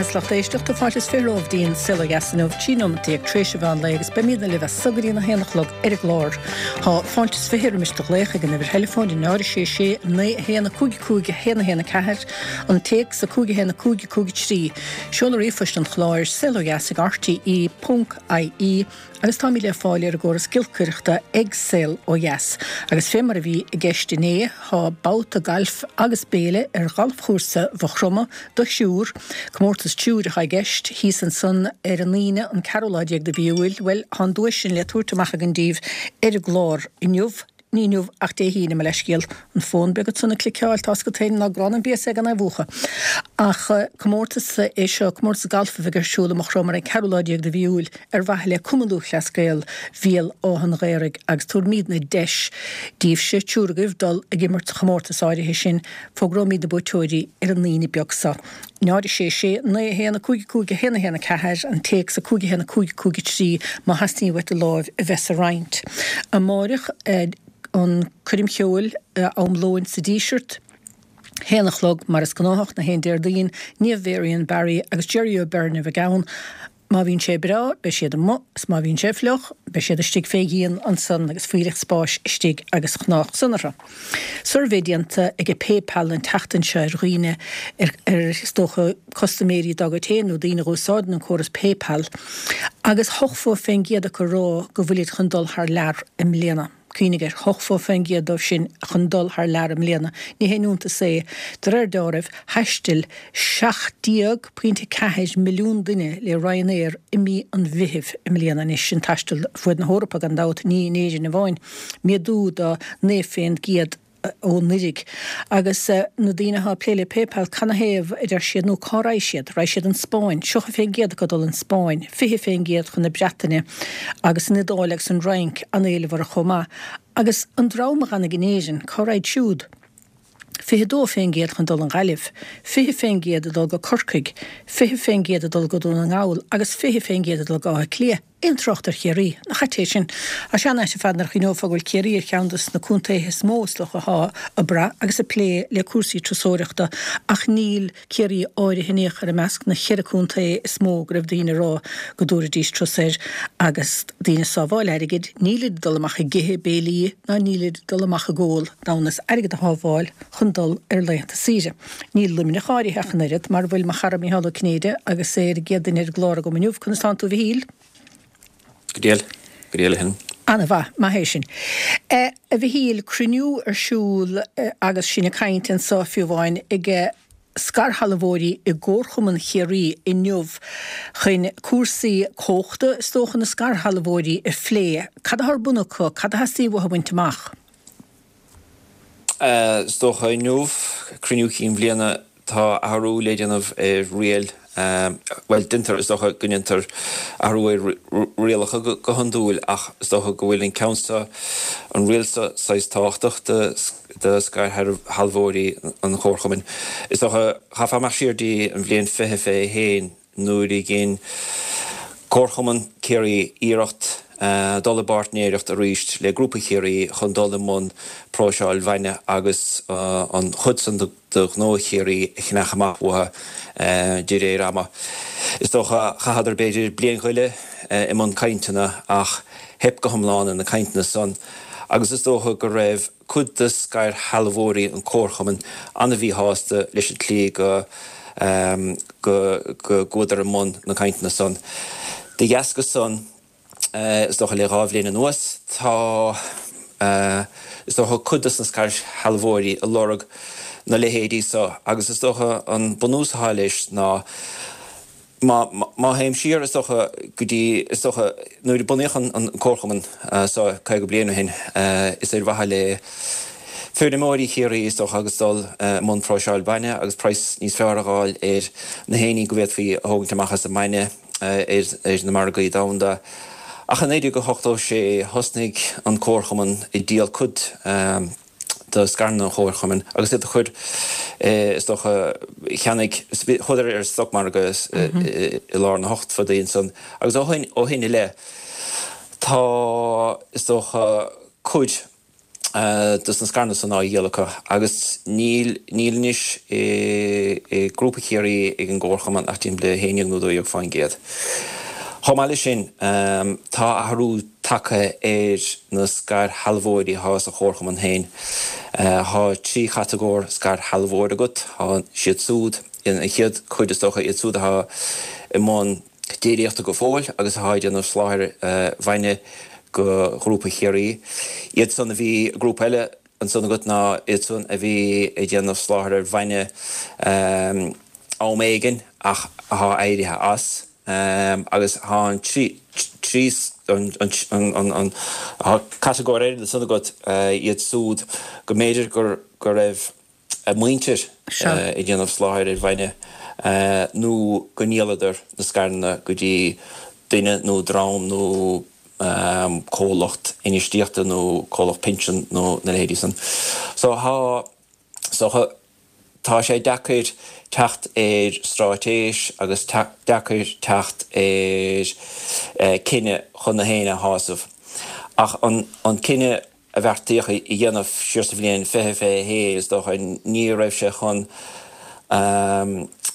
is lucht éisteachta, fáilte is 20 romhaibh dtí'n Saol Ó Dheas inniu, 13 nóimeat tar éis an mheán lae agus beimídne libh as so go dtí'n 1 a chlog ar an gclár. Tá fáilte is 20 roimis do ghlaoch ag an uimhir theileafóin 0 6 6 9 1 5 5 1 1 4, an téacs 5 1 5 5 3, seoladh ríomhphoist an chláir, saolodheas ag rte ponc ie. Agus táimid le fáil ar an gcóras giolcaireachta ag Saol Ó Dheas. Agus fé mar a bhí i gceist inné, tá babhta gailf agus béile ar ghalfchúrsa Mhaigh Chromtha do thriúr. Comórtas triúir atá i gceist, thíos ansan ar an Aoine an ceathrú lá déag de mhí Iúil. Bhuel, tá an duais sin le tabhairt amach againn daoibh ar an gclár inniu. Ní inniu ach Dé hAoine, mo leithscéal. An fón beag ansan ag cliceáil, tá's agat féin ná grán an béasa é gan é a mhúchadh. Ach comórtas é seo, comórtas galf a bheidh ar siúl i Maigh Chromtha ar an ceathrú lá déag de mhí Iúil ar mhaithe le Cumann Lúthchleas Gael Bhéal Átha an Ghaorthaidh agus tabharfaimídne deis daoibhse, triúr agaibh, dul ag imirt sa chomórtas áirithe sin. Fógróimid na buaiteoirí ar an Aoine beag seo. 0 6 6 9 1 5 5 1 1 4, an téacs 5 1 5 5 3 má theastaíonn uait do láimh a bheith sa roinnt. Amáireach an coirm cheoil am lóin sa Díseart, haon a chlog mar is gnáthach na haon Déardaoin, Niamh Varian Barry agus Jerry O'Beirne a bheidh ann. Má bhíonn sé breá, beidh siad amuigh, is má bhíonn sé fliuch, beidh siad istigh fé dhíon ansan agus fuílleach spáis istigh agus chnámh san orthu. Suirbhé déanta ag PayPal an tseachtain seo ar dhaoine, ar, is dócha, custaiméirí dá gcuid féin nó daoine a dh'úsáideann an córas PayPal, agus 80% acu ag rá go bhfuilid chun dul thar lear i mbliana. Cuimhnigh air, 80% dóibh sin chun dul thar lear i mbliana. Ní haon iontas é. De réir dealraimh, thaistil 17.4 milliún duine le Ryanair i mí an Mheithimh i mbliana. Anois, sin taisteal fuaid na hEorpa, gan dabht, ní in Éirinn amháin. Méadú de 9% ó anuraidh. Agus na daoine atá ag plé le PayPal, canathaobh, a deir siad, nó cá raghaidh siad? Raghaidh siad an Spáinn, 30% acu ag dul an Spáinn, 20% chun na Breataine, agus an Iodáil agus an Fhrainc an-éileamh orthu chomh maith. Agus an dream a dh'fhanfaidh in Éirinn, cá raghaid siúd? 22% chun dul an Ghaillimh, 20% ag dul go Corcaigh, 20% ag dul go Dún na nGall agus 20% ag dul go Áth Cliath. Aon trácht ar Chiarraí? Nach ait é sin? Tá sé an-ait ar fad nuair a chuimhneofá go bhfuil Ciarraí ar cheann de na contaetha is mó is dócha atá ag brath agus ag plé le cúrsaí turasóireachta ach níl Ciarraí áirithe in aon chor i measc na cheithre contae is mó go raibh daoine ag rá go dtabharfaidís turas air agus daoine ag sábháil airgid, nílid ag dul amach ag ithe béilí ná nílid ag dul amach ag ól d'fhonn is airgead a shábháil chun dul ar laethanta saoire. Níl Luimneach áirithe ach an oiread, mar a bhfuil mo chara Micheál Ó Cinnéide agus é ar an gcéad duine ar an gclár agam inniu. Conas tánn tú a Mhichíl? Go diail, go diail a Helen. Ana-mhaith, maith é sin. A Mhichíl, cruinniú ar siúl agus sinn ag caint anso fiú amháin ag scairshealbhóirí i gComharchumann Chiarraí inniu chun cúrsaí comhachta, is dócha, na scairshealbhóirí a phlé. Cad atá ar bun acu? Cad a theastaíonn uathu a bhaint amach? Is dócha inniu, cruinniú cinn bhliana, tá athrú le déanamh ar riail, bhuel, déantar, is dócha go ndéantar athrú ar rialacha go hiondúil ach is dócha go bhfuil an ceann seo, an riail seo saghas tábhachtach do scairshealbhóirí an Chomharchumainn. Is dócha, chaithfeá imeacht siar dtí an bhliain 2021, nuair a dhein Comharchumann Chiarraí iarracht dul i bpáirtnéireacht arís le Grúpa Chiarraí chun dul i mbun próiseáil bhainne agus an chuid san de ghnó Chiarraí a cheannach amach uathu de réir ama. Is dócha, chaitheadar b'fhéidir bliain go leith i mbun cainteanna ach theip go hiomlán ar na cainteanna san agus is dócha go raibh cuid de scairshealbhóirí an Chomharchumainn an-mhíshásta leis an tslí go go gcuadar i mbun na cainteanna san. De dheasca san, is dócha le 2 bhliain anuas, tá, is dócha, cuid de na scairshealbhóirí ag lorg na leithéidí so agus is dócha an bunús atá leis ná, Má, má théim siar, is dócha, go dtí, is dócha, nuair a bunaíodh an Comharchumann so 50 bliain ó shin, is ar mhaithe le feirmeoirí Chiarraí, is dócha, agus dul i mbun próiseáil bainne agus praghas níos fearr a dh'fháil ar na héiní go bhféadfaí a thógaint amach as an mbainne ar na margaí domhanda. Ach i 1986 thosnaigh an Comharchumann ag díol cuid de scaireanna an Chomharchumainn agus iad a chur, is dócha, cheannaigh, chuadar ar an stocmhargadh i lár na hochtóidí ansan agus ó shin, ó shin i leith tá, is dócha, cuid. dos na scaireanna san á dhíol acu agus níl, níl anois i, i nGrúpa Chiarraí ag an gComharchumann ach timpeall le 11 nó 12%. Chomh maith leis sin, tá athrú tagtha ar na scairshealbhóirí atá sa Chomharchumann féin. Tá 3 chatagóir scairshealbhóir agat, tá siad súd, an chéad chuid is dócha, iad súd atá i mbun déiríochta go fóill agus atá ag déanamh soláthair bhainne go Ghrúpa Chiarraí. Iad san a bhí, grúpa eile ansan agat ná iad san a bhí ag déanamh soláthair ar bhainne am éigin ach atá éirithe as agus tá an trí, an, an, an, tá catagóir eile ansan agat, iad súd go mb'fhéidir gur, go raibh. a muintir ag déanamh soláthair ar bhainne nó go ndíoladar na scaireanna go dtí duine nó dream nó comhlacht infheistíochta nó comhlacht pinsean nó na leithéidí san. So tá, so tá sé deacair teacht ar stráitéis agus deacair teacht ar cinneadh chun gach éinne a shásamh. Ach an cinneadh a bheartaíodh a dhéanamh siar sa bhliain 2021, is dócha, ní raibh sé chun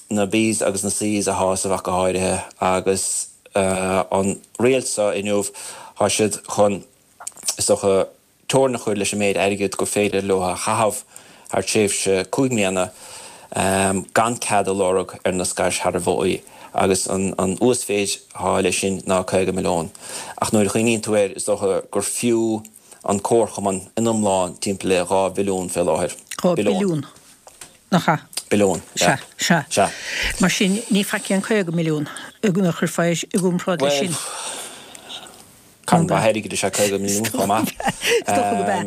na Bs agus na Cs a shásamh ach go háirithe agus an riail seo inniu, tá siad chun, is dócha, teorainn a chur leis an méid airgid gur féidir leo a chaitheamh thar tréimhse 5 mbliana gan cead a lorg ar na scairshealbhóirí agus an uasmhéid atá leis sin ná 50 milliún. Ach nuair a chuimhníonn tú air, is dócha gur fiú an comharchumann in iomlán timpeall le 2 bhilliún fé láthair. 2 billiún, nach ea? Billiún, sea. Sea, sea. Mar sin, ní faic é an 50 milliún, nuair a chuirfeá i gcomparáid leis sin. Bhuel. Carn mhaith airgid is ea 50 milliún chomh maith. Is dócha gurb ea.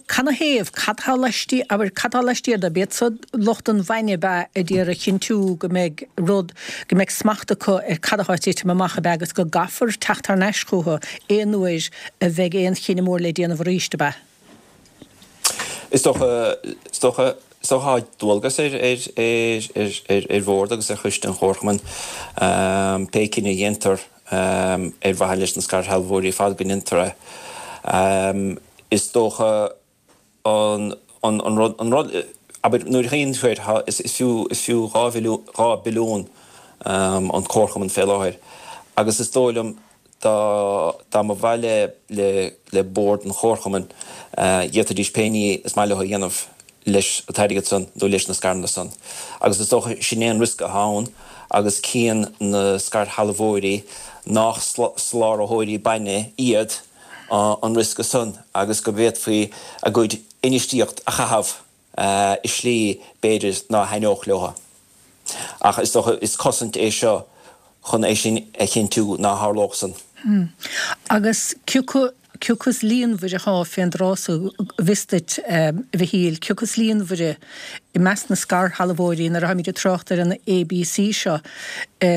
Canathaobh? Cad tá laistiar, abair, cad tá laistiar de? B'iad so lucht an bhainne ab ea a d'iarraidh a chinntiú go mbeidh rud, go mbeidh smacht acu ar cad atá ag titim amach ab ea agus go gcaithfear teacht thar n-ais chucu aon uair a bheidh aon chinneadh mór le déanamh arís, ab ea? Is dócha, is dócha, is dócha tá dualgas ar, ar, ar, ar, ar, ar bhord agus ar choiste an Chomharchumainn pé cinneadh a dhéantar ar mhaithe leis na scairshealbhóirí ar fad go ndéantar é. Is dócha an, an, an rud, an rud, abair, nuair a chuimhníonn tú air, tá, is, is fiú, is fiú 2 bhilliún, 2 billiún an Comharchumann fé láthair agus is dóigh liom dá, dá mba mhaith le, le, le Bord an Chomharchumainn, d'fhéadfaidís pé ní is maith leo a dhéanamh leis an t-airgead san nó leis na scaireanna san. Agus is dócha sin é an riosca atá ann agus cíonn na scairshealbhóirí nách soláthróirí bainne iad an riosca san agus go bhféadfaí a gcuid infheistíocht a chaitheamh i slí b'fhéidir ná thaitneodh leo. Ach is dócha is cosaint é seo chun é sin a chinntiú ná tharlódh san. Agus cioca, cioca is líonmhaire athá fén dtráth so, bhfios duit, a Mhichíl, cioca is líonmhaire i measc na scairshealbhóirí nuair atháimid ag trácht ar an ABC seo,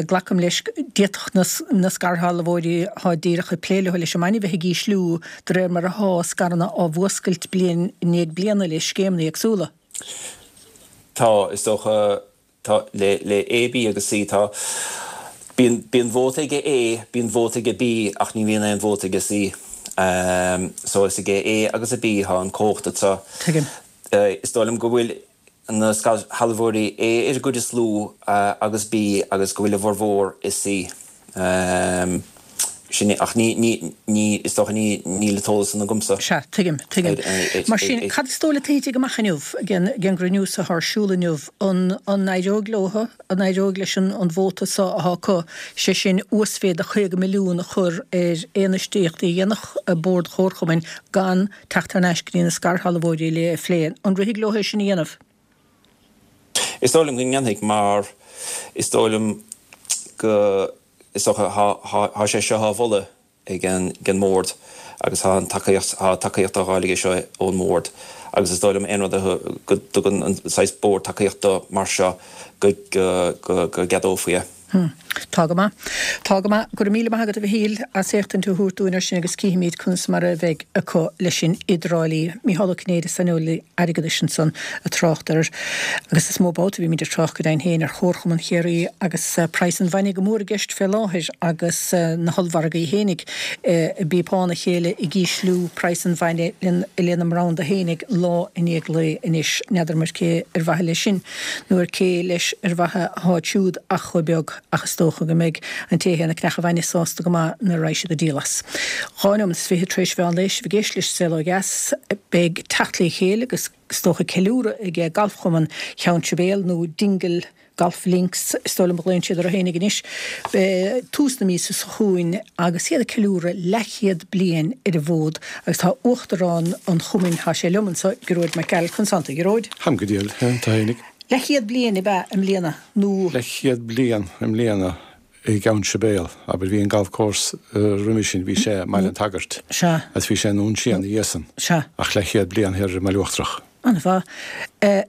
glacaim leis, d'fhéadfadh na, na scairshealbhóirí athá díreach ag plé leo leis an mbainne bheith ag ísliú de réir mar athá scaireanna á bhfuascailt bliain i ndiaidh bliana le scéimeanna éagsúla. Tá, is dócha, tá, le, le A, B agus C, tá, bíonn, bíonn vóta aige A, bíonn vóta aige B ach ní bhíonn aon vóta aige C. So is aige A agus a B atá an cumhacht anseo. Tuigim. Is dóigh liom go bhfuil na scairshealbhóirí A ar an gcuid is lú agus B agus go bhfuil a bhformhór i C. Sin é, ach ní, ní, ní, is dócha ní, níl an t-eolas san agamsa. Sea, tuigim, tuigim. Mar sin, cad is dóigh leat a thitfidh amach inniu, ag an, ag an gcruinniú so atá ar siúl inniu? An, an éireoidh leo, an éireoidh leis an, an vóta so atá acu, sé sin, uasmhéid de 50 milliún a chur ar aon infheistíochtaí a dhéanfadh Bord Chomharchumainn gan teacht thar n-ais go dtí na scairshealbhóirí le é a phlé. An rithfidh leo é sin a dhéanamh? Is dóigh liom go ndéanfaidh mar is dóigh liom go, is dócha, tá sé seo á mholadh ag an mBord agus tá an tacaíocht, tá tacaíocht á fháil aige seo ón mBord agus is dóigh liom aon rud a go dtugann an saghas Bord tacaíocht do mar seo go, go, go gceadófaí é. Tá go maith. Tá go maith. Go raibh míle maith agat a Mhichíl as éachtaint a thabhairt dúinn ar sin agus cífimid conas mar a bheidh acu leis sin i dTrá Lí. Mícheál Ó Cinnéide, saineolaí airgeadais ansan ag trácht air agus is mó babhta a bhímid ag trácht go deimhin féin ar Chomharchumann Chiarraí agus praghas an bhainne go mór i gceist fé láthair agus na hollmhargaí fhéinig ag bíopeán a chéile ag ísliú praghas an bhainne lena mbranda fhéinig lá i ndiaidh lae anois. N'fheadar muid cé ar mhaithe leis sin. Nó ar cé leis ar mhaithe atáid siúd ach chomh beag, ach is dócha go mbeidh an té a théann ag ceannach an bhainne sásta go maith nuair a raghaidh siad ag díol as. 2 nóimeat is 20 tar éis mheán lae, sibh ag éisteacht leis an Saol Ó Dheas. Beidh teacht le chéile agus is dócha ceiliúradh ag Galfchumann Cheann Sibéal nó Dingle Golf Links is dóigh liom a ghlaonn siad orthu fhéinig anois, tús na míosa seo chugainn agus iad ag ceiliúradh leathchéad bliain ar an bhfód agus tá Uachtarán an chumainn, tá sé liom anseo, Gearóid Mac Gearailt, Conas tánn tú, a Ghearóid? Táim go diail, tá fhéinig. Leathchéad bliain ab ea i mbliana nó? Leathchéad bliain i mbliana i gCeann Sibéal, abair, bhí an golf course roimhe sin, bhí sé i mBaile an tSagairt. Sea. Agus bhí sé i nDún Síon ina dhiaidh san. Sea. Ach leathchéad bliain thiar ar an mBaile Uachtarach. An-mhaith.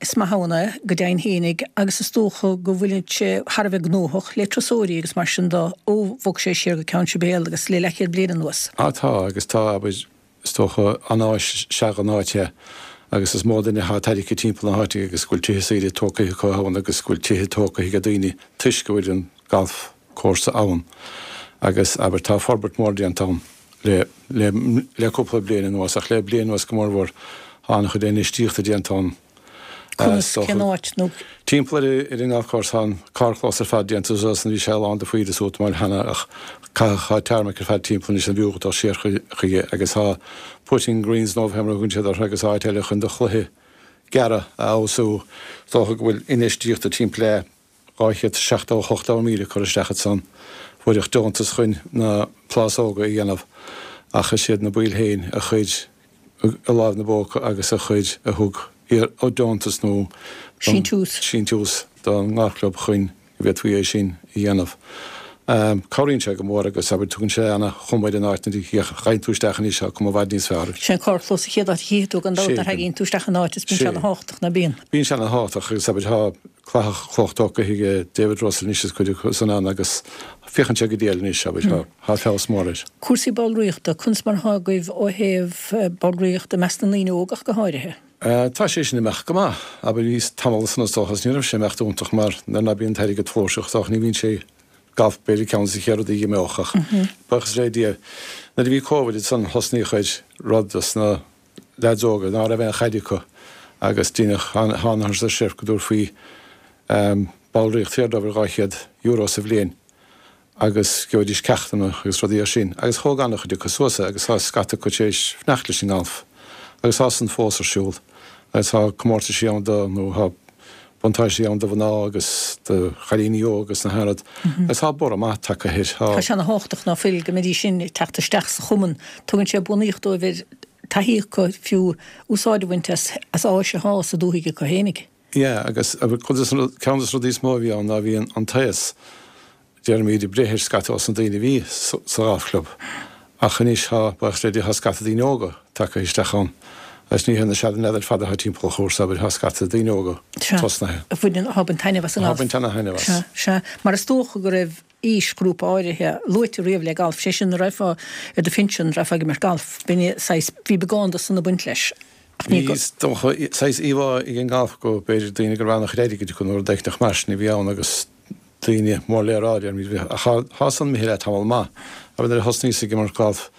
Is maith ann é, go deimhin fhéinig, agus is dócha go bhfuil sé thar a bheith gnóthach le turasóirí agus mar sin de ó bhog sé siar go Ceann Sibéal agus le leathchéad bliain anuas. Á tá, agus tá, abair, is dócha, an-áis is ea an áit é agus is mó duine atá tarraingthe timpeall na háite agus go bhfuil tithe saoire tógtha acu ann agus go bhfuil tithe tógtha ag daoine toisc go bhfuil an galf cúrsa ann agus, abair, tá forbairt mhór déanta ann le, le, le cúpla bliain anuas ach le bliain anuas go mórmhór tá an-chuid infheistíochta déanta ann. Conas, cén áit nó. Timpeall ar ar an golf course tá an carrchlós ar fad déanta suas bhí sé lán de phoill is útamáil cheana ach caitheadh tá tarmac ar fad timpeall anois an bhfiú dul siar chuige agus tá putting greens nó fé mar a thugann siad orthu agus áit eile chun do chluiche gearra a fheabhsú. Is dócha go bhfuil infheistíocht de timpeall le 278,000 curtha isteach ansan. Fuaireadh deontas chun na plásóga a dhéanamh ach is iad na baill féin a chuir a lámh 'na bpóca agus a chuir, a thug deontas nó Síntiús. síntiús don ngalfchlub chun go bhféadfaí é sin a dhéanamh. Cabhraíonn sé go mór agus, abair, tugann sé ana-chuma ar an áit nuair a ghabhann tú isteach anois, tá cuma i bhfad níos fearr air. Sé an carrchlós an chéad áit a chífidh tú gan dabht nuair a thagann tú isteach in áit is bíonn sé ana-thábhachtach, ná bíonn? Bíonn sé ana-thábhachtach agus, abair, tá cladach cloch tógtha ag David Russell anois is cuid acu san ann agus féachann sé go diail anois, abair, tá, tá feabhas mór air. Cúrsaí ballraíochta, conas mar atá agaibh ó thaobh ballraíochta i measc na ndaoine óg ach go háirithe? Tá sé sin ag imeacht go maith. Abair, bhí tamall ansan is dócha is ní raibh sé ag imeacht iontach mar nuair ná bíonn an t-airgead flúirseach is dócha ní bhíonn sé galf b'fhéidir ceann des na chéad rudaí a imeodh ach buíochas le Dia nuair a bhí Covid ansan thosnaíodh ar rud dos na leaids óga ná raibh aon chaid acu agus deineadh thánathas ar seif go dtabharfaí ballraíocht saor dóibh ar €200 sa bhliain. agus gheobhaidís ceachtanna agus rudaí mar sin agus thóg an-chuid acu suas é agus tá scata acu tar éis fanacht leis an ngalf agus tá san fós ar siúl agus tá comórtaisí ann do nó tá buntáistí ann do mhná agus do chailíní óga agus na haon rud agus tá borradh maith tagtha air. Tá. Tá sé ana-thábhachtach ná fuil go mbeidís sin ag teacht isteach sa chumann. Tugann sé bunaíocht dóibh ar taithí acu fiú úsáid a bhaint as áis atá sa dúthaigh acu fhéinig. Yeah, agus cuid des na, ceann des na rudaí is mó a bhí ann ná bhí an t-aos, déarfaimid, ag breith ar scata dos na daoine a bhí sa ghalfchlub. Ach anois tá, buíochas le Dia, tá scata daoine óga tagtha isteach ann. Agus ní hé na seanleaids ar fad atá timpeall an chúrsa, abair, tá scata daoine óga tosnaithe. Sea, a bhaineann, atá ag baint taitneamh as an ngalf. Atá ag baint ana-thaitneamh as. Sea, sea. Mar is dócha go raibh aoisghrúpa áirithe luaite riamh le galf, sé sin, nuair a raghfá ar do phinsean, raghfá ag imirt galf. B'in é saghas, bhí beagán de san ag baint leis. Ach ní go. Bhí, is dócha, saghas íomhá ag an ngalf go b'fhéidir daoine go raibh an-chuid airgid acu nó rud éicneach mar sin a bhí ann agus daoine mór le rá, déarfaimid, bhí, ach tá, tá san imithe le tamall maith. Abair nuair a thosnaíos ag imirt galf,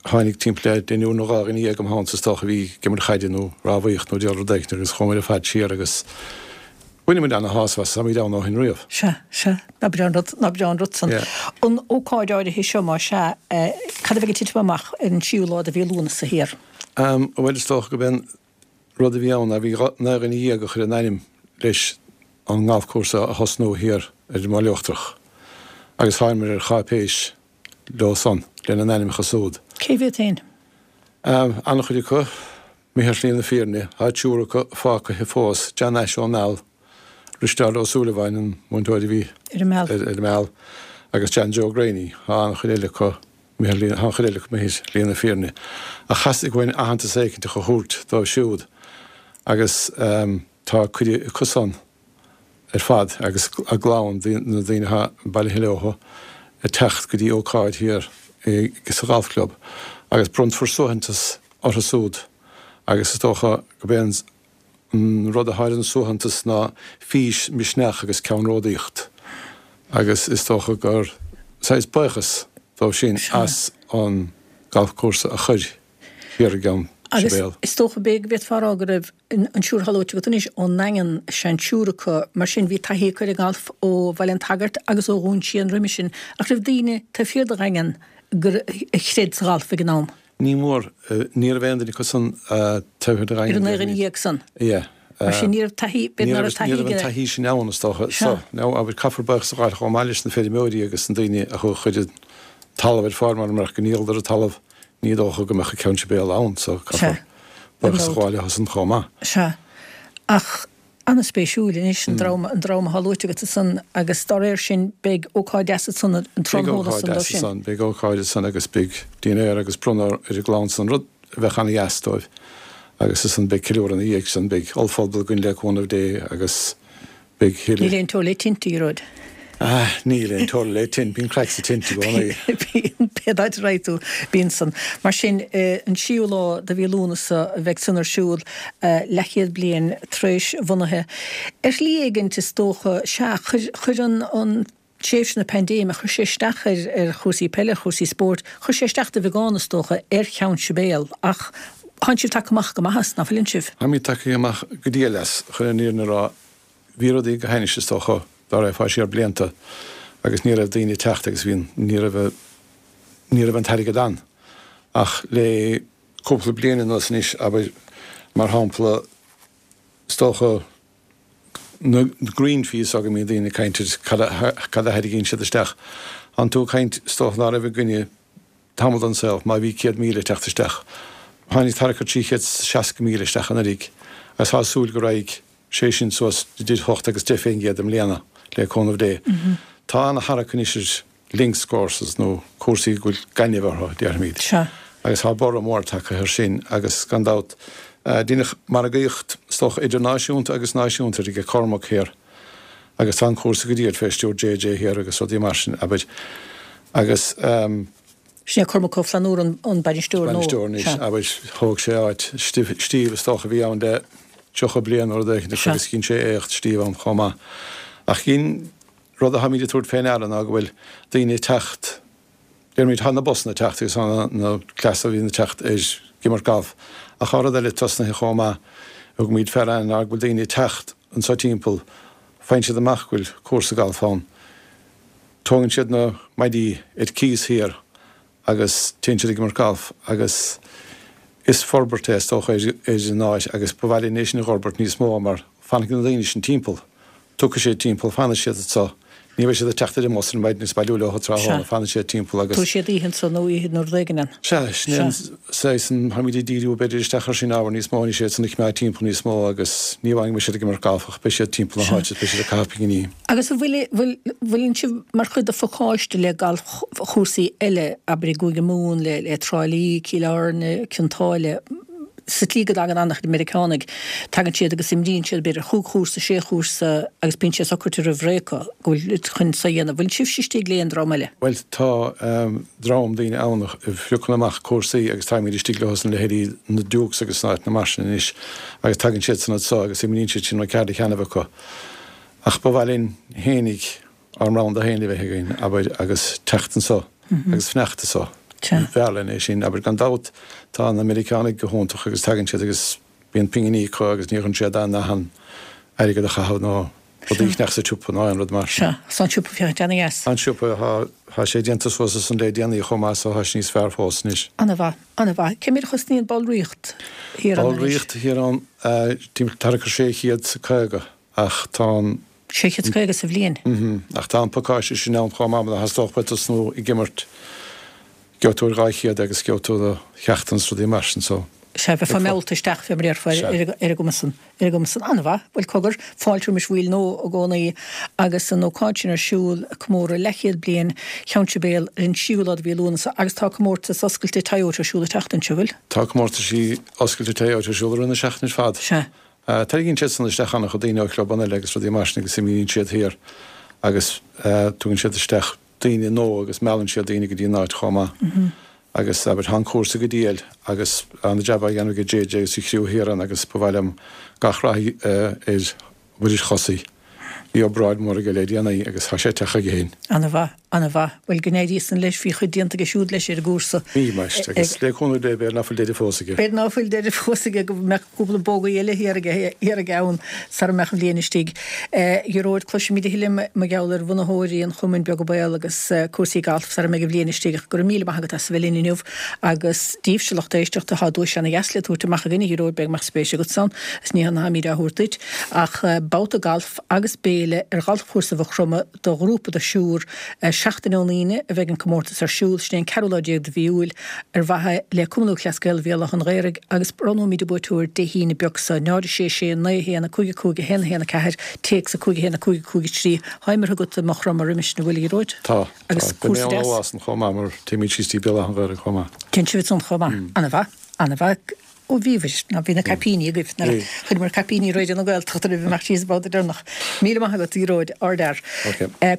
tháinig timpeall le deichniúr nó 12 dhuine im theannta is dócha a bhí ag imirt chaide nó rámhaíocht nó diabhal rud éicint agus chuamar ar fad siar agus bhain muid ana-shásamh as, táimid ann ó shin riamh. Sea, sea. Nach breá an rud, nach breá an rud san. Yeah. An ócáid áirithe seo, más ea, cad a bheidh ag titim amach ar an tríú lá de mhí Lúnasa thiar? Bhuel, is dócha go b'é an rud a bhí ann ná bhí 19 dhuine a chuir a n-ainm leis an ngalfchúrsa a thosnú thiar ar an mBaile Uachtarach agus thánamar ar cháipéis leo san, lena n-ainmneacha súd. Cé mhéad féin? An-chuid acu, imithe ar shlí na fírinne. Tá triúr acu fágtha fós, John Ashe ón Meall, Risteárd Ó Súilleabháin, an múinteoir a bhí ar an Meall, ar an Meall, agus John Joe Greaney. Tá an-chuid eile acu imithe, tá an-chuid eile acu imithe ar shlí na fírinne. Ach theastaigh uainn aitheantas éicint a thabhairt dóibh siúd agus tá cuireadh acu san. ar fad agus a gclann, na daoine atá bailithe leo, ag teacht go dtí ócáid thiar sa Ghalf Club agus bronnfar suaitheantas orthu súd agus is dócha go b'é an rud atá ar an suaitheantas ná fís, misneach agus ceannródaíocht agus is dócha gur saghas buíochas dóibh sin as an galfchúrsa a chur thiar i gCeann Agus Sibéal. is dócha b'fhéidir go bhféadfá a rá go raibh an triúr atá luaite agat anois ón nDaingean, seisear acu, mar sin bhí taithí acu ar an ngalf ó Bhaile an tSagairt agus ó Dhún Síon roimhe sin. Ach raibh daoine taobh thiar de Dhaingean gur a chreid sa ghalf ag an am? Ní mór. Ní raibh aon duine acu san taobh thiar de Dhaingean. Ar an 19 san? Yeah. Mar sin ní raibh taithí, b'fhéidir nach raibh taithí Ní raibh an taithí sin ann is dócha. So, now, abair, caithfear buíochas a ghabháil chomh maith leis na feirmeoirí agus na daoine a chuir an talamh ar fáil mar murach go ndíoladar an talamh ní dócha go mbeadh Ceann Sibéal ann so caithfear buíochas a ghabháil leo san chomh maith. Sea. Ach an-spéisiúil anois an dream, an dream atá luaite agat ansan agus dá réir sin beidh ócáid deas ansan an Beidh tráthnóna ócáid san dó deas sin. ansan, beidh ócáid ansan agus beidh dinnéar agus bronnadh ar an gclann san, rud a bheadh an-dheas dóibh agus ansan beidh ceiliúradh ina dhiaidh san, beidh ollphuball againn le cúnamh Dé agus Beidh thuilleadh. Níl aon teora le tinte, a Ghearóid. Ah, níl aon teora le tint, bíonn craic sa tint i gcónaí. Bíonn, pé áit a raghaidh tú, bíonn san. Mar sin, an séú lá de mhí Lúnasa a bheidh san ar siúl, leathchéad bliain tar éis a bhunaithe. Ar shlí éigint, is dócha, sea, chuir, chuir an, an tréimhse na paindéime, chuir sé isteach ar, ar chúrsaí peile, ar chúrsaí spóirt, chuir sé isteach de bheagán, is dócha, ar Cheann Sibéal, ach tánn sibh tagtha amach go maith as, ná fuileann sibh? Táimid tagtha amach go diail as, chun an fhírinne a rá. Bhí rudaí go hainnis, is dócha, dá raghfá siar blianta agus ní raibh daoine ag teacht agus bhí an, ní raibh, ní raibh an t-airgead ann. Ach le cúpla bliain anuas anois, abair, mar shampla, is dócha, na green fees go mbíonn daoine ag caint ar cad a, cad a thairgíonn siad isteach. Tánn tú ag caint, is dócha ná raibh againne tamall den saol, má bhí 100,000 ag teacht isteach. Tháinig tarracar 360,000 isteach anuraidh agus tá súil go raghaidh sé sin suas idir 8 agus 10 fén gcéad i mbliana, le cúnamh Dé. Tá ana-tharrac anois ar links courses nó cúrsaí go bhfuil gaineamh orthu, déarfaimid. Sea. Agus tá borradh mór tagtha air sin agus gan dabht deineadh margaíocht, is dócha, idirnáisiúnta agus náisiúnta aige Cormac thiar agus tá an cúrsa go diail fé stiúir JJ thiar agus rudaí mar sin, abair. Agus. Sin é Cormac Ó Flannúra an bainisteoir nó? Bainisteoir anois, abair, thóg sé áit Steve is dócha a bhí ann le 30 bliain nó rud éicint agus dhein sé éacht Steve ann chomh maith. Ach dhein rud atáimid ag tabhairt fé ndeara ná go bhfuil daoine ag teacht, déarfaimid, tá na busanna ag teacht agus tá na cleasa a bhíonn ag teacht ag imirt galf ach tá rud eile tosnaithe chomh maith, thugaimid fé ndeara ná go bhfuil daoine ag teacht anso timpeall, faigheann siad amach go bhfuil cúrsa galf ann. Tógann siad na maidí ar cíos thiar agus téann siad ag imirt galf agus is forbairt é is dócha ar an áit agus ba mhaith linn é sin a dh'fhorbairt níos mó mar fanfaidh na daoine sin timpeall, tiocfaidh siad timpeall, fanfaidh siad anso, ní bheidh siad ag teacht ar an mbus ar maidin agus bailiú leo tráthnóna, fanfaidh siad timpeall agus. Tabharfaidh siad oíche anso nó oíche nó rud éigin ann. Sea, sin é an saghas an, táimid ag díriú b'fhéidir isteach ar sin ábhar níos mó anois iad san a choimeád timpeall níos mó agus ní amháin go mbeidh siad ag imirt galf ach beidh siad timpeall na háite, beidh siad ag caitheamh pinginí. Agus an bhfuil, bhfuil, bhfuileann sibh mar chuid de phacáiste le galfchúrsaí eile, abair i gCúige Mumhan, le, le Trá Lí, Cill Airne, Cionn tSáile, sa tslí go dtagann an-chuid Meiriceánaigh, tagann siad agus imríonn siad b'fhéidir chúig chúrsa, sé chúrsa agus bíonn sé socraithe roimh ré acu go bhfuil chun so a dhéanamh. Bhfuil sibhse istigh le aon dream eile? Bhuel, tá dream daoine ann a phiocann amach cúrsaí agus táimid istigh leo san, leithéidí na Dukes agus na áiteanna mar sin anois agus tagann siad san anso agus imríonn siad sin an ceard a cheannamh acu. Ach ba mhaith linn fhéinig ár mbranda féin a bheith againn, abair, agus teacht anso agus fanacht anso. B'fhearr linn é sin, abair. Gan dabht tá na Meiriceánaigh go hiontach agus tagann siad agus bíonn pinginí acu agus ní chuireann siad aon airgead a chaitheamh nó rudaí a cheannach sa tsiopa nó aon rud mar sin. Sea, tá an siopa féachaint ana-dheas. An siopa, tá, tá sé déanta suas ansan le déanaí chomh maith so tá sé níos fearr fós anois. Ana-mhaith, ana-mhaith. Cé mhéad a chosnaíonn ballraíocht thiar ann anois? Ballraíocht thiar ann, timpeall tarracar 650. Ach tá an. 650 sa bhliain. Mm-hm. Ach tá an pacáiste sin ann chomh maith, má theastódh uait tosnú ag imirt, gheobhaidh tú ar 200 agus gheobhaidh tú do cheachtanna is rudaí mar sin, so. Sea, bheifeá meallta isteach, fé mar a déarfá, ar an gcuma san, ar an gcuma san. An-mhaith. Bhuel, cogar, fáilte roimis bhaill nua i gcónaí agus an ócáid sin ar siúl, comóradh leathchéad bliain Cheann Sibéal ar an séú lá de mhí Lúnasa agus tá comórtas oscailte Toyota ar siúl an tseachtain seo, bhfuil? Tá comórtaisí oscailte Toyota ar siúl i rith na seachtaine ar fad. Sea. Tarraingíonn siad san isteach an-chuid daoine ó chlubanna eile agus rudaí mar sin agus imíonn siad thiar agus tugann siad isteach daoine nua agus meallann siad daoine go dtí an áit chomh maith. Agus abair, tá an cúrsa go diail agus an-jab á dhéanamh ag JJ agus a chriú thiar ann agus ba mhaith liom gach rath ar Mhuiris Chosaí. Bhí obráid mhór aige le déanaí agus tá sé ag teacht chuige féin. Ana-mhaith, ana-mhaith. Bhuel, go n-éirí san leis, bhí chuid déanta aige siúd leis ar an gcúrsa. Bhí, muis, agus le cúnamh Dé b'fhéidir ná fuil deireadh fós aige. B'fhéidir ná fuil deireadh fós aige, go mbeadh cúpla bogey eile thiar aige, thiar aige ann sara mbeadh an bhliain istigh. A Ghearóid, cloisfimid a thuilleadh mar gheall ar bhunaitheoirí an Chumainn Beaga Baol agus cúrsaí gailf sara mbeidh an bhliain istigh ach go raibh míle maith agat as a bheith linn inniu agus daoibhse lucht éisteachta, tá duais ana-dheas le tabhairt amach againn, a Ghearóid, b'fhéidir go mbeadh spéis agat ann, is ní hann táimid á thabhairt duit ach babhta gailf agus béile ar ghalfchúrsa Mhaigh Chromtha do ghrúpa de thriúr. Seachtain ón Aoine a bheidh an comórtas ar siúl, sin é an ceathrú lá déag de mhí Iúil, ar mhaithe le Cumann Lúthchleas Gael Bhéal Átha an Ghaorthaidh agus roghnóimid an buaiteoir Dé hAoine beag seo. 0 6 6 9 1 5 5 1 1 4, téacs 5 1 5 5 3. Tá imeartha agat i Maigh Chromtha roimis an bhfuil, a Ghearóid? Tá. Agus Tá. Beidh mé ann an lá san chomh maith mar téimid síos dtí Béal Átha an Ghaorthaidh chomh maith. Téann sibh ansan chomh maith. Ana-mhaith. Ana-mhaith. Ó bhíobhair, ná bhí na caipíní agaibh, nuair a chuireamar caipíní Raidió na Gaeltachta roimh imeacht síos an babhta deireanach. Míle maith agat, a Ghearóid, ardfhear.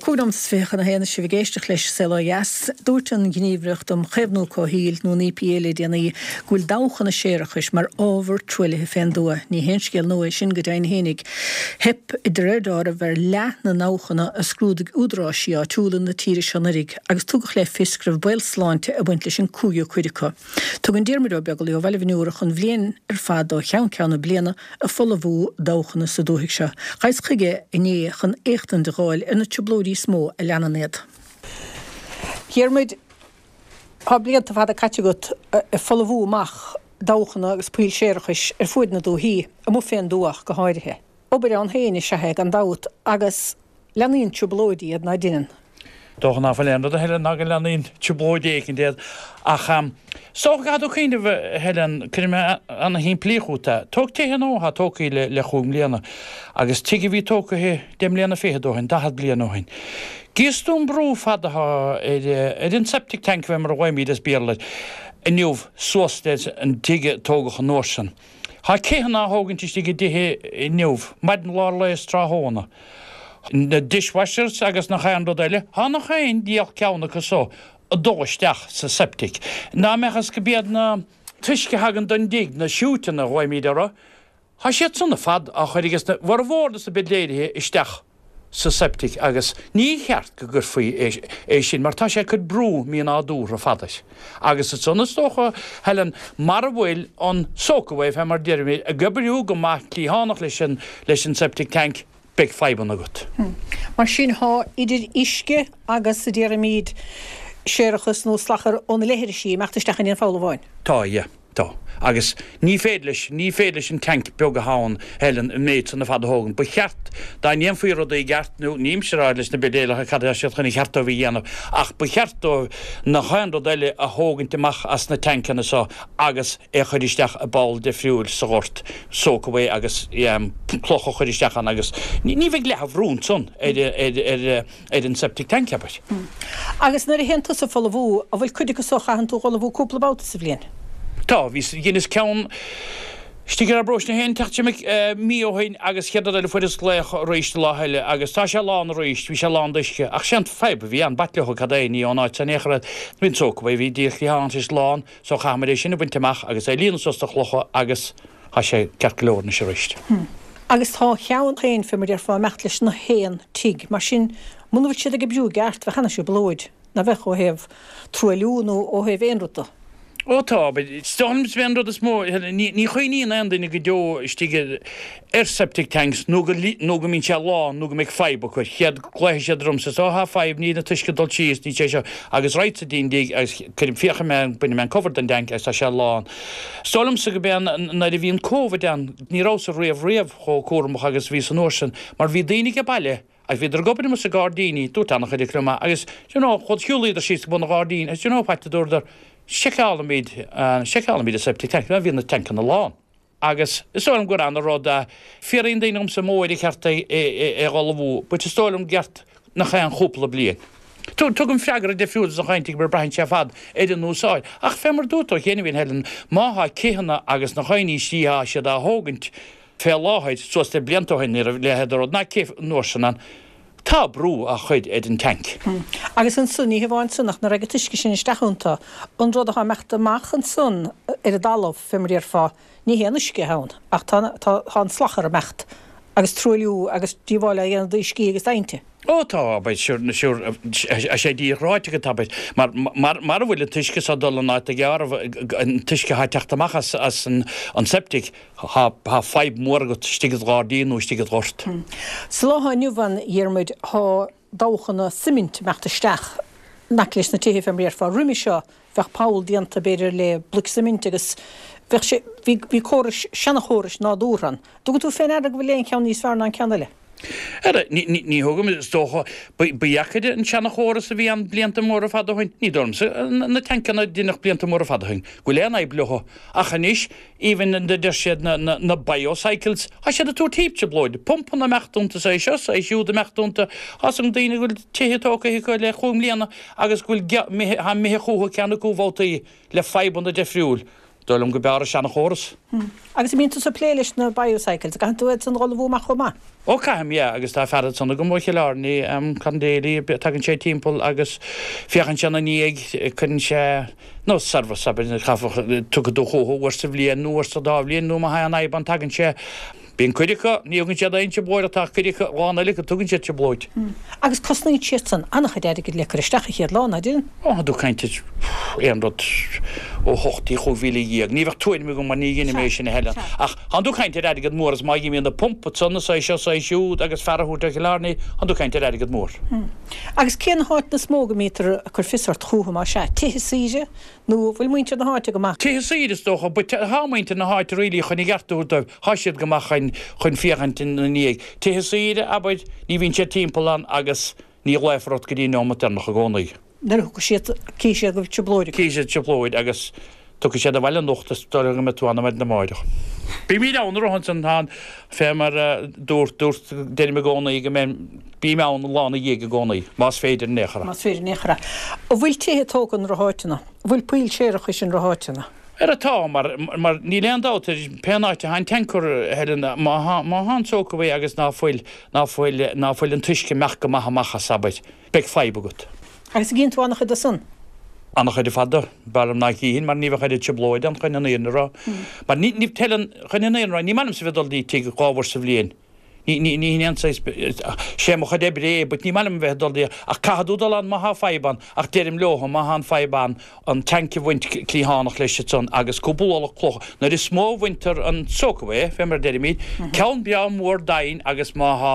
25 nóimeat chun a haon is sibh ag éisteacht leis Saol Ó Dheas. Dúirt an Ghníomhaireacht um Chaomhnú Comhshaoil, nó an EPA le déanaí, go bhfuil dabhchanna séarachais mar ábhar truaillithe fén dtuath. Ní haon scéal nua é sin go deimhin fhéinig. Theip, de réir deáraimh, ar leath na ndabhchanna a scrúdaigh údaráisí áitiúla na tíre seo anuraidh agus tugadh le fios go raibh baol sláinte ag baint leis an cúigiú cuid acu. Tugann Diarmuid Ó Beaglaoi ó Bhaile Bhiniúrach an bhliain ar fad ó cheann ceann na bliana ag folmhú dabhchanna sa dúthaigh seo. Ghabhas chuige inné chun éachtaint a dh'fháil ar na trioblóidí is mó a leanann iad. Dhiarmuid, tá blianta fada caite agat ag folmhú amach dabhchanna agus poill séarachais ar fuaid na dúthaí, amuigh fén dtuath ach go háirithe. Obair ann féin is ea é gan dabht agus leanaíonn trioblóidí iad, ná deineann? Dócha ná fuil aon rud a Helen ná go leanaíonn trioblóid éicint iad. Ach is dócha go gcaithfidh tú cuimhneamh, a Helen, cuirfidh mé ana-shimplí chugat é. Tóg tithe nua atá tógtha le le chúig mbliana agus tigh a bhí tógtha deich mbliana fichead ó shin, 40 bliain ó shin. Gíos tú an brú fada atá ar ar an septic tank fé mar a ghlaoimid as Béarla air inniu suas leis an tigh a tógadh an uair sin. Tá céitheanna á thógaint istigh i dtithe inniu, maidin lár lae is tráthnóna. Na dishwashers agus nach aon rud eile, tá nach aon diabhal ceann acu so ag dul isteach sa septic. Ná mbeadh is go b'iad na t-uisce a thagann don dtigh, na siúiteanna a ghlaoimid orthu, tá siad san ar fad á chur ages na bhformhór de na bidléirithe isteach. sa septic agus ní cheart go gcuirfí é sin mar tá sé ag cur brú mínádúrtha fada air. Agus ansan is dócha, Helen, mara bhfuil an soakaway, fé mar deirimid, ag oibriú go maith cliathánach leis an leis an septic tank, beidh fadhbanna agat. Mar sin, tá idir uisce agus, a déarfaimid, séarachas nó salachar ó na leithrisí ag imeacht isteach in aon pholl amháin. Tá, yeah. Tá. Agus ní féidir leis, ní féidir leis an tank beag atá ann, Helen, an méid san ar fad a thógaint. Ba cheart, dá ndéanfaí rudaí i gceart, nó nílimse ag rá leis na bidéalacha cad atá siad chun a cheart dóibh a dhéanamh, ach ba cheart dóibh nach aon rud eile a thógaint amach as na tancanna so agus é a chur isteach i bpoll difriúil sa ghort, soak away agus cloch a chur isteach ann agus ní bheidh leath an bhrú ansan ar, ar, ar, ar an septic tank, abair. Agus nuair a théann tusa ag folmhú, an bhfuil cuid acu so a chaitheann tú a dh'fholmhú cúpla babhta sa bhliain? Tá, bhí, dheineas ceann istigh ar ár bparóiste féin teacht seo mí ó shin agus chéad rud eile fuaireas glaoch arís an lá eile agus tá sé lán arís, bhí sé lán d'uisce ach sé an fadhb a bhí ann, b'ait leo cad é, ní ón áit san in aon chor é, bhí an soak away, bhí díreach cliathán tar éis lán so chaitheamair é sin a bhaint amach agus é a líonadh suas de chlocha agus Tá sé ceart go leor anois arís. Agus tá a cheann féin, fé mar déarfá, ag imeacht leis na haon tigh. Mar sin, muna bhfuil siad ag oibriú i gceart, bheadh ana-thrioblóid, ná bheadh, ó thaobh truailliú nó ó thaobh aon rud de. Ó tá, but is dóigh liom an rud is mó, ní chuimhníonn aon duine go deo istigh ar septic tanks nó go nó go mbíonn sé lán nó go mbeidh fadhb acu. Chéad glaofaidh siad ormsa, is ó tá fadhb, níl an t-uisce ag dul síos, níl sé seo, agus raghadsa dtí an dtigh agus cuirim, féachfaidh mé, bainfidh mé an cover den dtank agus tá sé lán. Is dóigh liomsa go b'é nuair a bhí an Covid ann, ní rabhas riamh riamh chomh cúramach agus a bhíos an uair sin, mar bhí daoine age baile agus bhíodar ag obair amuigh sa gairdíní, dúirt an-chuid acu liom, agus do you know, chuad, shiúlaíodar síos go bun an ghairdín agus do you know what, a dúradar, seiceálfaimid, seiceálfaimid an septic tank, bhí na tancanna lán. Agus is dóigh liom gur ana-rud é. Fiafraíonn daoine dhomsa an mó uair ar cheart é a dh'fholmhú, but is dóigh liom gceart nach aon chúpla bliain. Tugaim freagra difriúil dos na cainteoirí mar braitheann sé ar fad ar an úsáid. Ach fé mar dúirt tú cheana féin, Helen, má thá céitheanna agus na dhaoine istigh thá siad á thógaint. Fé láthair, suas le blianta ó shin, ní raibh a leithéid de rud ná cith an uair sin ann. Tá brú á chur ar an tanc. Agus ansan, ní hamháin san, ach nuair a raghaidh an t-uisce sin isteach iontu, an rud atá ag imeacht amach ansan ar an dtalamh, fé mar a déarfá, ní hé an uisce atá ann, ach tá, tá, tá an salachar ag imeacht, agus truailliú agus díobháil á dhéanamh d'uiscí agus d'aibhnte. Ó tá, abair, sure, sure, tá sé díreach ráite agat, abair, mar, mar, mara bhfuil an t-uisce so ag dul in áit gearr, an t-uisce atá ag teacht amach as, as an, an septic, Tá fadhb mhór agat istigh id ghairdín nó istigh id ghort. Sa lá atá inniu ann, a Dhiarmuid, tá dabhchanna suimint ag imeacht isteach in aice leis na tithe fé mar a déarfá. Roimhe seo bheadh poll déanta b'fhéidir le bloic suimint agus bheadh sé, bhí, bhí córais, seanachórais nádúrtha ann. Dtugann tú fé ndeara go bhfuil aon cheann níos fearr ná an ceann eile? Ara, ní, ní, ní thugaim, is dócha, ba, ba dheacair an seanachóras a bhí ann blianta móra fada ó shin. Ní dóigh liomsa na tancanna a deineadh blianta móra fada ó shin go bhfuil aon fhadhb leo. Ach anois, Even a deir siad na na biocycles, tá siad ag tabhairt heap trioblóid, pumpanna ag imeacht iontu is é seo is é siúd ag imeacht iontu. Tá 's ag daoine go bhfuil tithe tógtha acu le chúig mbliana agus go bhfuil imithe, tá imithe chucu ceann acu babhtaí le fadhbanna difriúil. Dóigh liom go b'fhearr an seanachóras. Agus an mbíonn tusa ag plé leis na biocycles, an gcaitheann tú iad san a fholmhú amach chomh maith? Ó caithim, yeah, agus tá fear ansan agam ó Chill Airne, Con Daly, tagann sé timpeall agus féachann sé ina ndiaidh, cuireann sé, nó service, abair, caithfear, tiocfaidh tú chucu uair sa bhliain nó uair sa dá bhliain nó má thagann fadhb ann tagann sé. Bíonn cuid acu, ní thugann siad aon trioblóid ach tá cuid acu, a lán eile acu, tugann siad trioblóid. Agus cosnaíonn siad san an-chuid airgid le cur isteach an chéad lá, ná deineann? Ó, tá tú ag caint ar aon rud ó 8 go 15,000. Ní bheadh tuairim agam mar ní dheinim é sin a Helen. Ach tánn tú ag caint ar airgead mór agus má dh'imíonn na pumpa ansan is é seo is é siúd agus fear a thabhairt ó Chill Airne, tánn tú ag caint ar airgead mór. Agus cén háit is mó go mbítear ag cur fios ort chúthu, más ea? Tithe saoire? Nó an bhfuil muintir na háite go maith? Tithe saoire is dócha, but tá muintir na háite really chun a gceart a thabhairt dóibh, tá siad go maith chun, chun féachaint ina ndiaidh. Tithe saoire, abair, ní bhíonn siad timpeall ann agus ní ghlaofar ort go dtí an neomat deireanach i gcónaí. Nuair a thiocfaidh siad, cífidh siad go bhfuil trioblóid acu. Cífidh siad trioblóid agus tiocfaidh siad abhaile anocht is dóigh liom go mbeidh tú ann ar maidin amáireach. Bímid ann a rá ansan, tá an, fé mar a dúirt, dúirt, deirim i gcónaí go mbeidh, bím ann an lá ina dhiaidh i gcónaí, más féidir in aon chor. Más féidir in aon chor. An bhfuil tithe tógtha in rotháiteanna? An bhfuil poill séarachais in rotháiteanna? Ara tá, mar, mar níl aon dabht ar pén áit atá an tanker, Helen, má thá, má thá an soakaway agus ná fuil, ná fuil, ná fuil an t-uisce ag imeacht go maith amach as, abair. Beidh fadhb agat. Agus an gcíonn tú an-chuid de san? An-chuid ar fad de. B'fhearr liom ná chífinn, mar ní bheadh oiread trioblóid ann chun an fhírinne a rá. Mar ní, ní, Helen, chun an fhírinne a rá, ní maith liomsa bheith ag dul dtí tigh dá uair sa bhliain. Ní, ní, ní hin aon saghas, sé mo chuid oibre é, but ní maith liom a bheith ag dul dtí, ach caithfidh tú dul ann má thá fadhb ann, ach deirim leotha, má thá an fadhb ann, an tanc a bhaint cliathánach leis ansan agus cúpla ualach cloch, nuair is mó a bhaintear an soakaway, fé mar a deirimid, ceann breá mór doimhin agus má thá,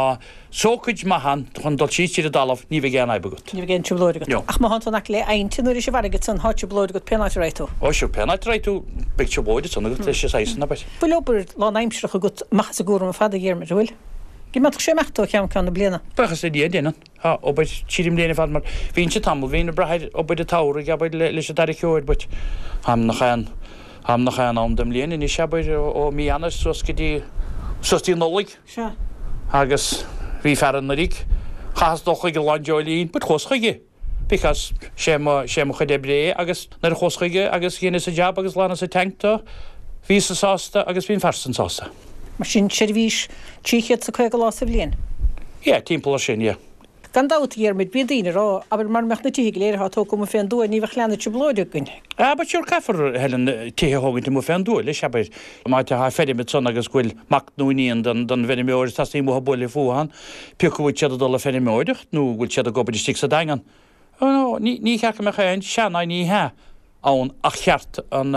Soakage maith ann chun dul síos tríd an dtalamh, ní bheidh aon fhadhb agat. Ní bheidh aon trioblóid agat. No. Ach má thánn tú in aice le aibhnte nuair is i bhfarraige ansan, thá trioblóid agat pén áit a raghaidh tú. Ó sure, pén áit a raghaidh tú, beidh trioblóid ansan agat leis an saghas san, abair. Bhfuil obair lánaimsearach agat amach as an gcúram ar fad, a Dhiarmuid, an bhfuil? Go mbeadh sé imeacht ó cheann ceann na bliana. Buíochas le Dia, déanann. Tá obair tríd an mbliain ar fad mar bhínnse tamall, bhínn ag brath ar obair an tsamhraidh, abair, leis an tarraiceoir but táim nach aon, táim nach aon am den mbliain anois, abair, ó mí Eanáir suas go dtí, suas dtí Nollaig. Sea. Agus bhí fear anuraidh, chaitheas dul chuige lá an dreoilín but chuas chuige because sé mo, sé mo chuid oibre é agus nuair a chuas chuige agus dheineas an jab agus ghlanas an tank dó, bhíos-sa sásta agus bhí an fear san sásta. Mar sin, seirbhís 350 lá sa bhliain? Yeah, timpeall ar sin, yeah. Gan dabht, a Dhiarmuid, bíonn daoine ag rá, abair, mara mbeadh na tithe go léir atá tógtha amuigh fén dtuath, ní bheadh leath na trioblóide againn. Ah, but sure, caithfear, Helen, tithe a thógaint amuigh fén dtuath leis, abair, má tá feirm ansan agus go bhfuil mac nó iníon den, den bhfeirmeoir is teastaíonn uathu bualadh fúthu ann, pé acu bhfuil siad ag dul ag feirmeoireacht nó bhfuil siad ag obair istigh sa Daingean. Oh no, ní, ní cheart go mbeadh aon, sea ná ní hea. ann ach cheart an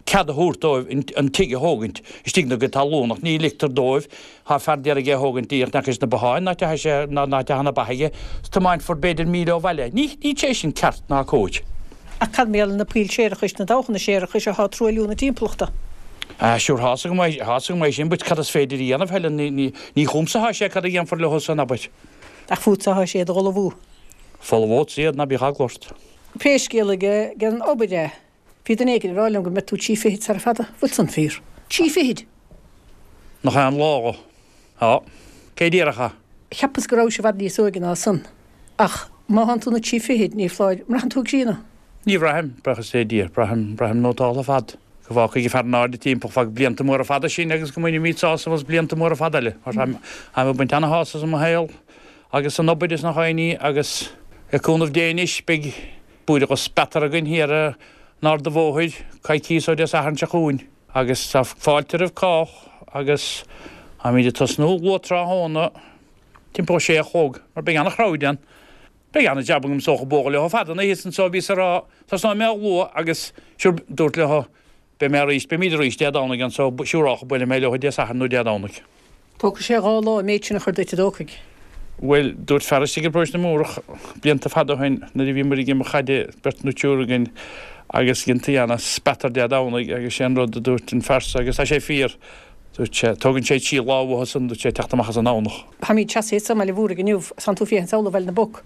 cead a thabhairt dóibh an tigh a thógaint istigh ina gcuid talún ach ní ligtear dóibh. Tá fear d'iarraidh é a thógaint díreach in aice leis na botháin, an áit atá sé, an áit atá na ba aige, is tiomáinfear b'fhéidir míle ó bhaile. Ní sé sin ceart ná cóir. Ach cad mar gheall ar na poill séarachais, na dabhchanna séarachais atá ag truailliú na timpeallachta? Ah sure, tá's agam é, tá's agam é sin, but cad is féidir a dhéanamh, Helen, ní, ní, ní chugamsa atá sé cad a dhéanfar leo san, abair. Ach fútsa atá sé iad a dh'ullmhú. Folmhódsa iad, ná bíodh eagla ort. Pé scéal é den obair é, bhí duine éigin ag rá liom go mbeidh tú trí fichid sara fada. Bhfuil san fíor? Trí fichid! Nach é an lá dho. Tá. Cé déarfadh é? Cheapas go rabhais i bhfad níos óige ná san. Ach má thánn tú na trí fichid, ní foláir. An mbraitheann tú ag críonadh? Ní bhraithim, buíochas le Dia. Braithim, braithim nótálta ar fad. Go bhfágfaidh a fear in airde timpeall feadh blianta móra fada sinn agus go mbainfimid sásamh as blianta móra fada eile, mar táim ag baint ana-shásamh as mo shaol agus san obair is na dhaoine agus le cúnamh Dé anois beidh búird de speatar againn thiar in Ard a' Bhóthair coicíos ó Dé Sathairn seo chugainn agus tá fáilte roimh cách agus táimid ag tosnú luath tráthnóna timpeall a sé a chlog mar beidh ana-chrowd ann. Beidh ana-jab agam is dócha bualadh leo fada an oíche san so bhíos ag rá tosnóidh mé luath agus sure dúrt leo beidh mé arís, beimid arís Dé Domhnaigh anso siúrálcha buailfidh mé leo Dé Sathairn nó Dé Domhnaigh. Tógfaidh sé 2 lá an méid sin a chur duit an dtógfaidh? Bhuel, dúirt fear istigh i bparóiste na Múrach blianta fada ó shin nuair a bhíomar ag imirt chaide, beirt nó triúr againn, agus dhéantaí ana speatar Dé Domhnaigh agus sé an rud a dúirt an fear so agus tá sé fíor, dúirt sé, tógann sé trí lá uathu san, dúirt sé, teacht amach as an nDomhnach. Táimid seasaithe anso i mBaile Mhúraigh inniu, is tánn tú féachaint sall ó Bhaile na bPoc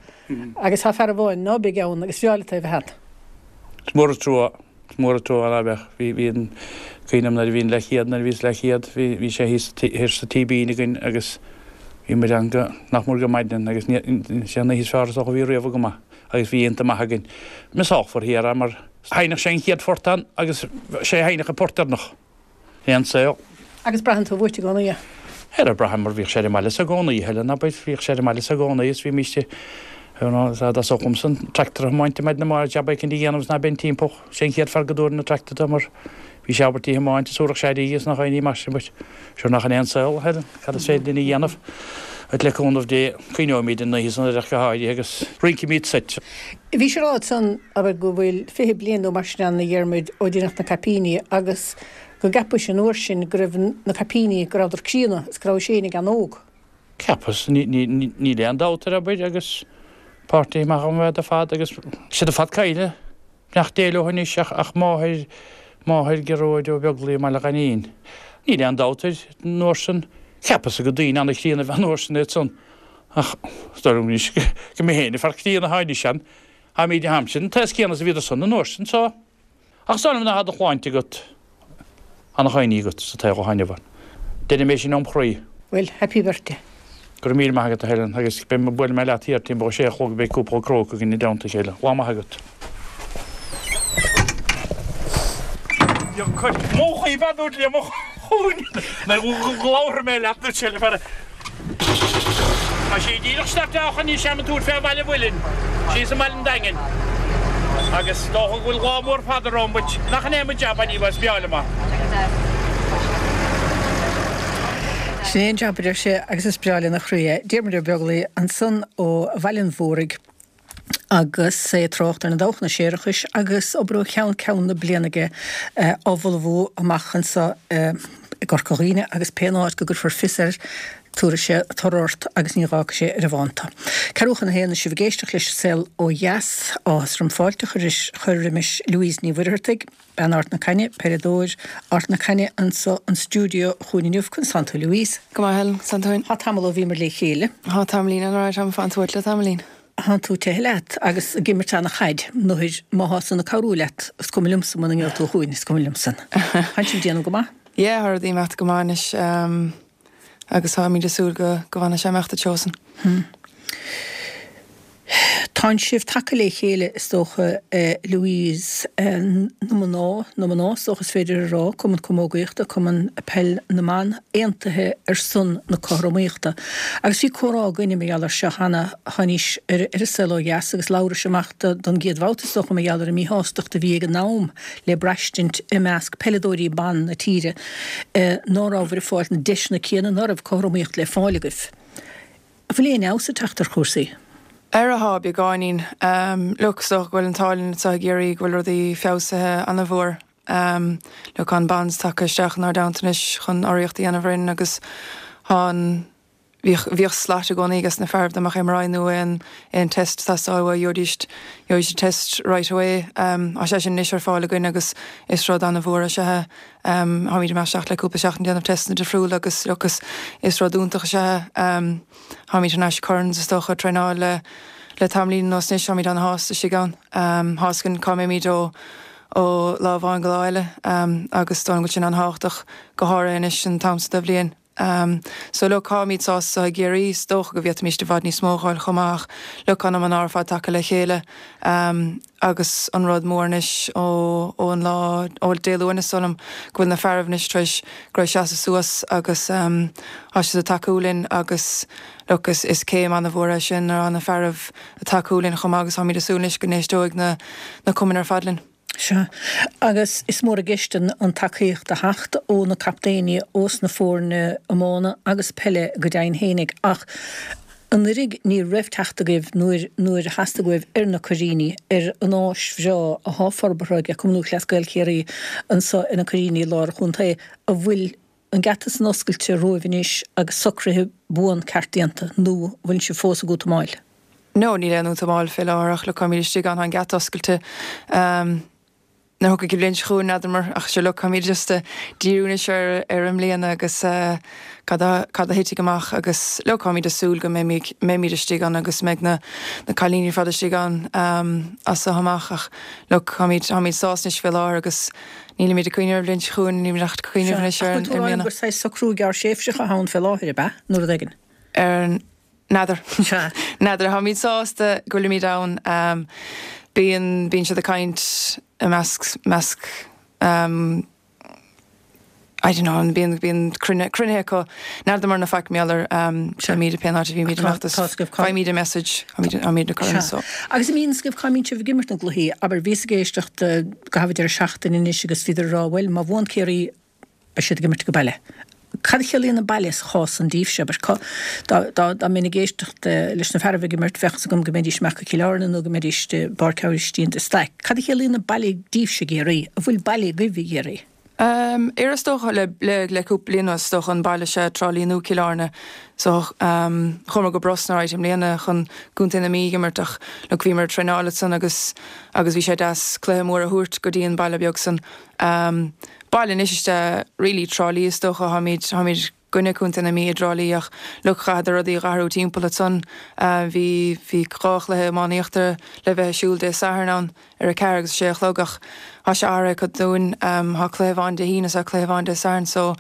agus tá fear amháin ná beidh ann agus bhreá leat é a bheith ann. Is mór an trua, is mór an trua ná beadh. Bhí, bhí an, cuimhin liom nuair a bhí an leathchéad, nuair a bhíos leathchéad, bhí, bhí sé thíos, thiar sa Tí Bín againn agus bhí muid ann go, nach mór go maidin agus ní, sé an oíche is fearr is dócha a bhí riamh agam agus bhí iontach maith againn. Miseálfar thiar é mar sheinneadh sé an chéad phort ann agus sé a sheinneadh an port deireanach. Aon saol. Agus braitheann tú uait i gcónaí é. Ara braithim mar bhíodh sé ar an mbaile so i gcónaí, a Helen, abair, bhíodh sé ar an mbaile so i gcónaí is bhímíst you know, dá dtosódh liomsa an tractor a thiomáint maidin amárach jab éicint a dhéanamh is ná beinn timpeall, sé an chéad fear go dtabharfainn an tractor dó mar bhí sé ábalta í a thiomáint is thabharfadh sé air í is nach aon ní mar sin but sure nach in é an saol, a Helen, cad is féidir linn a dhéanamh? But le cúnamh Dé, cuimhneoimid an oíche san ach go háirithe agus rinncimid soit. Bhís ag rá ansan, abair, go bhfuil 20 bliain nó mar sin ann, a Dhiarmuid, ó deineadh na caipíní agus go gceapais an uair sin go raibh na caipíní, go rabhadar críonna is go rabhais fhéinig an-óg. Cheapas, níl aon dabht air, abair, agus páirtithe maith agam iad ar fad agus siad ar fad caillte. Beannacht Dé leo anois ach máthair, máthair Gearóid Ó Beaglaoich i mBaile Ghainín. Níl aon dabht air, an uair san, cheapas gur daoine an-chríonna a bhí an uair san iad san. Ach is dóigh liom anois go mé féin an fear críonna atá anois ann. Táimid táimse an t-aos céanna is a bhíodar san an uair sin so. Ach is dóigh liom nuair atá do shláinte agat, ana-chuimhní agat sa tsaol atá inniu ann. Deirim é sin óm chroí. Bhuel, happy birthday. Go raibh míle maith agat a Helen agus beidh mé, buailfidh mé leat thiar timpeall a sé a chlog beidh cúpla cróc againn i dteannta a chéile. Lá maith agat. Mo chaoi bean dúirt liom mo chúin labharfaidh mé leat dúirt sé le fear Tá sí díreach startáilte anois a'm ag tabhairt fé Bhaile Mhuilinn, síos i mBaile an Daingin. Agus is dócha go bhfuil lá mór fada romham but nach in é mo jab anyway, is breá liom é. Sin é an jab a deir sé agus is breá lena chroí é. Diarmuid Ó Beaglaoich ansan ó Bhaile an Mhúraigh. agus é ag trácht ar na dabhchanna séarachais agus obair ó cheann ceann na bliana aige á ullmhú amach anseo i gCorca Dhuibhne agus pé áit go gcuirfear fios air tabharfaidh sé toradh ort agus ní dh'fhágfaidh sé ar an bhfán tú. Ceathrú chun a haon is sibh ag éisteacht leis An Saol Ó Dheas. Áthas orm fáilte a chur roimis Louise Ní Mhuircheartaigh, bean Ard na Caithne, peileadóir Ard na Caithne anso an stiúideo chugainn inniu. Conas tánn tú Louise? Go maith Helen, 's an tóin. Tá tamall ó bhíomar le chéile. Tá tamaillín ann, alright, táim ag fanacht uait le tamaillín. Thánn tú tithe leat agus ag imirt ana-chaid, nuair má thá san ag cabhrú leat, is cuma liomsa muna ngeobhaidh tú chugainn, is cuma liomsa. Thánn sibh ag déanamh go maith? Yeah, tá rudaí ag imeacht go maith anois agus táimid ag súil go go bhfanfaidh sé ag imeacht an treo san. Tánn sibh tagtha le chéile is dócha Louise, na mná, na mná is dócha is féidir a rá, Cumann Camógaíochta, Cumann Peil na mBan, aontaithe ar son na cothromaíochta. Agus bhí comhrá againne mar gheall air seo cheana, tháinís ar An Saol Ó Dheas agus labhrais amach don gcéad bhabhta is dócha mar gheall ar an míshástacht a bhí ag an am le braistint i measc peileadóirí ban na tíre ná rabhabhair ag fáilt na deiseanna céanna, ná raibh cothromaíocht le fáil agaibh. An bhfuil aon fheabhas ag teacht ar chúrsaí? Ara thá, beagáinín. Look, is dócha go bhfuil an t-ádh linn anseo i gCiarraí go bhfuil rudaí feabhsaithe ana-mhór. Look, tá an Bonds tagtha isteach inár dteannta anois chun urraíocht a dhéanamh orainn agus tá an, bhíodh, bhíodh slot i gcónaí ages na fearaibh dá mbeadh MRI nó aon, aon test ag teastáil uathu, gheobhaidís, gheobhaidís an test right away. Tá sé sin anois ar fáil againn agus is rud ana-mhór is ea é. Táimid ag imeacht isteach le cúpla seachtain ag déanamh testanna difriúla agus look is, is rud iontach is ea é. Táimid thar n-ais i Currans is dócha ag traenáil le, le tamaillín anuas anois, táimid ana-shásta istigh ann. Tá 'fhios againn cá mbeimid ó, ó lá amháin go lá eile agus is dóigh liom go bhfuil sin an-thábhachtach go háirithe anois an t-am seo de bhliain. So look, táimid sásta i gCiarraí, is dócha go bhféadfaimis i bhfad níos mó a dh'fháil chomh maith ach look, tá na mná ar fad tagtha le chéile agus an rud mór anois ó ón lá, ó Dé Luain is dóigh liom, go bhfuil na fearaibh anois tar éis ag iarraidh seasamh suas agus tá siad ag tacú linn agus look, is is céim ana-mhór é sin nuair atá na fearaibh ag tacú linn chomh maith agus táimid ag súil anois go n-éisteoidh na na cumainn ar fad linn. Sea, agus is mór i gceist an tacaíocht a theacht ó na captaeiní ós na foirne iomána agus peile go deimhin fhéinig ach anuiridh ní raibh teacht agaibh nuair nuair a theastaigh uaibh ar na Coiríní, ar an áis bhreá athá forbartha ag Cumann Lúthchleas Gael Chiarraí anso ar na Coiríní i lár an chontae, an bhfuil an geata san oscailte romhaibh anois agus socruithe buan ceart déanta nó an bhfuil sibh fós ag útamáil? No, níl aon útamáil fé láthair ach look táimid istigh ann, tá an geata oscailte. Nuair a thiocfaidh an bhliain seo chugainn, n'fheadar ach sure look táimid just ag díriú anois ar ar an mbliana agus cad a cad a thitfidh amach agus look táimid ag súil go mbeimid mbeimid istigh ann agus mbeidh na na cailíní ar fad istigh ann as so amach ach look táimid táimid sásta anois fé láthair agus Nílimid ag cuimhneamh ar an bhliain seo chugainn, nílimid ach ag cuimhneamh anois ar an mbliana. Ach bhfuil tú ag rá gur saghas socrú gearrthréimhseach atá ann fé láthair, ab ea? Nó rud éigin? Ar N'fheadar. N'fheadar. Táimid sásta go bhfuilimid ann. Bíonn, bíonn siad ag caint i measc, measc, I don't know, bíonn, bíonn cruinnithe acu. N'fheadar mar na faic mar gheall ar táimid pén áit a bhímid ag imeacht is faighimid an message, táimid ag cur in so. Agus an mbíonn a fhios agaibh cá mbíonn sibh ag imirt na gcluichí, abair, bhíos ag éisteacht i gcaitheamh an deireadh seachtaine anois agus bhíodar ag rá, bhuel, má bhuann Ciarraí, beidh siad ag imirt ag baile. Cad a chiallaíonn an baile sa chás san daoibhse, abair? Cá, dá, dá, dá mbeinn ag éisteacht leis na fearaibh ag imirt, bheadh fhios agam go mbeidís amach go Cill Airne nó go mbeidís i bPáirc Aibhistín de Staic. Cad a chiallaíonn an baile daoibhse i gCiarraí? An bhfuil baile agaibh i gCiarraí? Ar is dócha le le cúpla bliain anuas, is dócha an baile is ea Trá Lí nó Cill Airne. So chuamar go Brosna right i mbliana chun gContae na Mí ag imirt ach look bhíomar ag traenáil ansan agus agus bhí sé deas cluiche mór a thabhairt go dtí an baile beag san. Baile anois is ea really Trá Lí is dócha táimid táimid gcoinne Contae na Mí i dTrá Lí ach look chaitheadar rudaí a dh'athrú timpeall ansan. Bhí bhí 2 chluiche iománaíochta le bheith ar siúl Dé Sathairn ann ar a 4 agus 6 a chlog ach tá sé athraithe acu dúinn. Tá cluiche amháin Dé hAoine is tá cluiche amháin Dé Sathairn so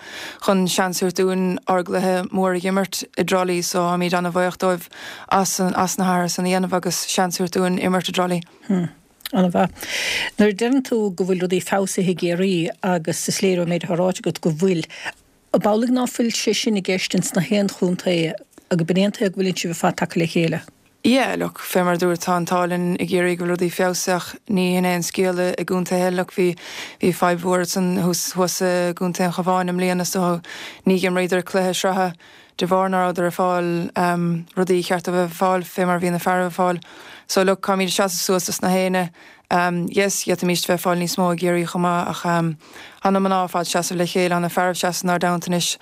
chun seans a thabhairt dúinn ár gcluiche mór a dh'imirt i dTrá Lí so táimid ana-bhuíoch dóibh as as na hathruithe san a dhéanamh agus seans a thabhairt dúinn imirt i dTrá Lí. Hmm. An-mhaith. Nuair a deireann tú go bhfuil rudaí feabhsaithe i gCiarraí agus is léir ón méid atá ráite agat go bhfuil, Ab amhlaidh ná fuil sé sin i gceist ins na haon chontae, agus ab in é an tuige go bhfuileann sibh ar fad tagtha le chéile? Yeah, look, fé mar a dúirt, tá an t-ádh linn i gCiarraí go bhfuil rudaí feabhsaithe ach ní hin é an scéal i gcontaetha eile. Look, bhí, bhí fadhb mhór ansan thuas, thuas i gContae an Chabháin i mbliana so ní dh'imríodar cluiche sraithe de bharr ná rabhadar ag fáil rudaí cheart dóibh a bheith ag fáil fé mar a bhí na fearaibh ag fáil. So look, caithfimid seasamh suas dos na héinne. Yes, d'fhéadfaimis bheith ag fáil níos mó i gCiarraí chomh maith ach tá na mná ar fad seasamh le chéile, tá na fearaibh seasamh inár dteannta anois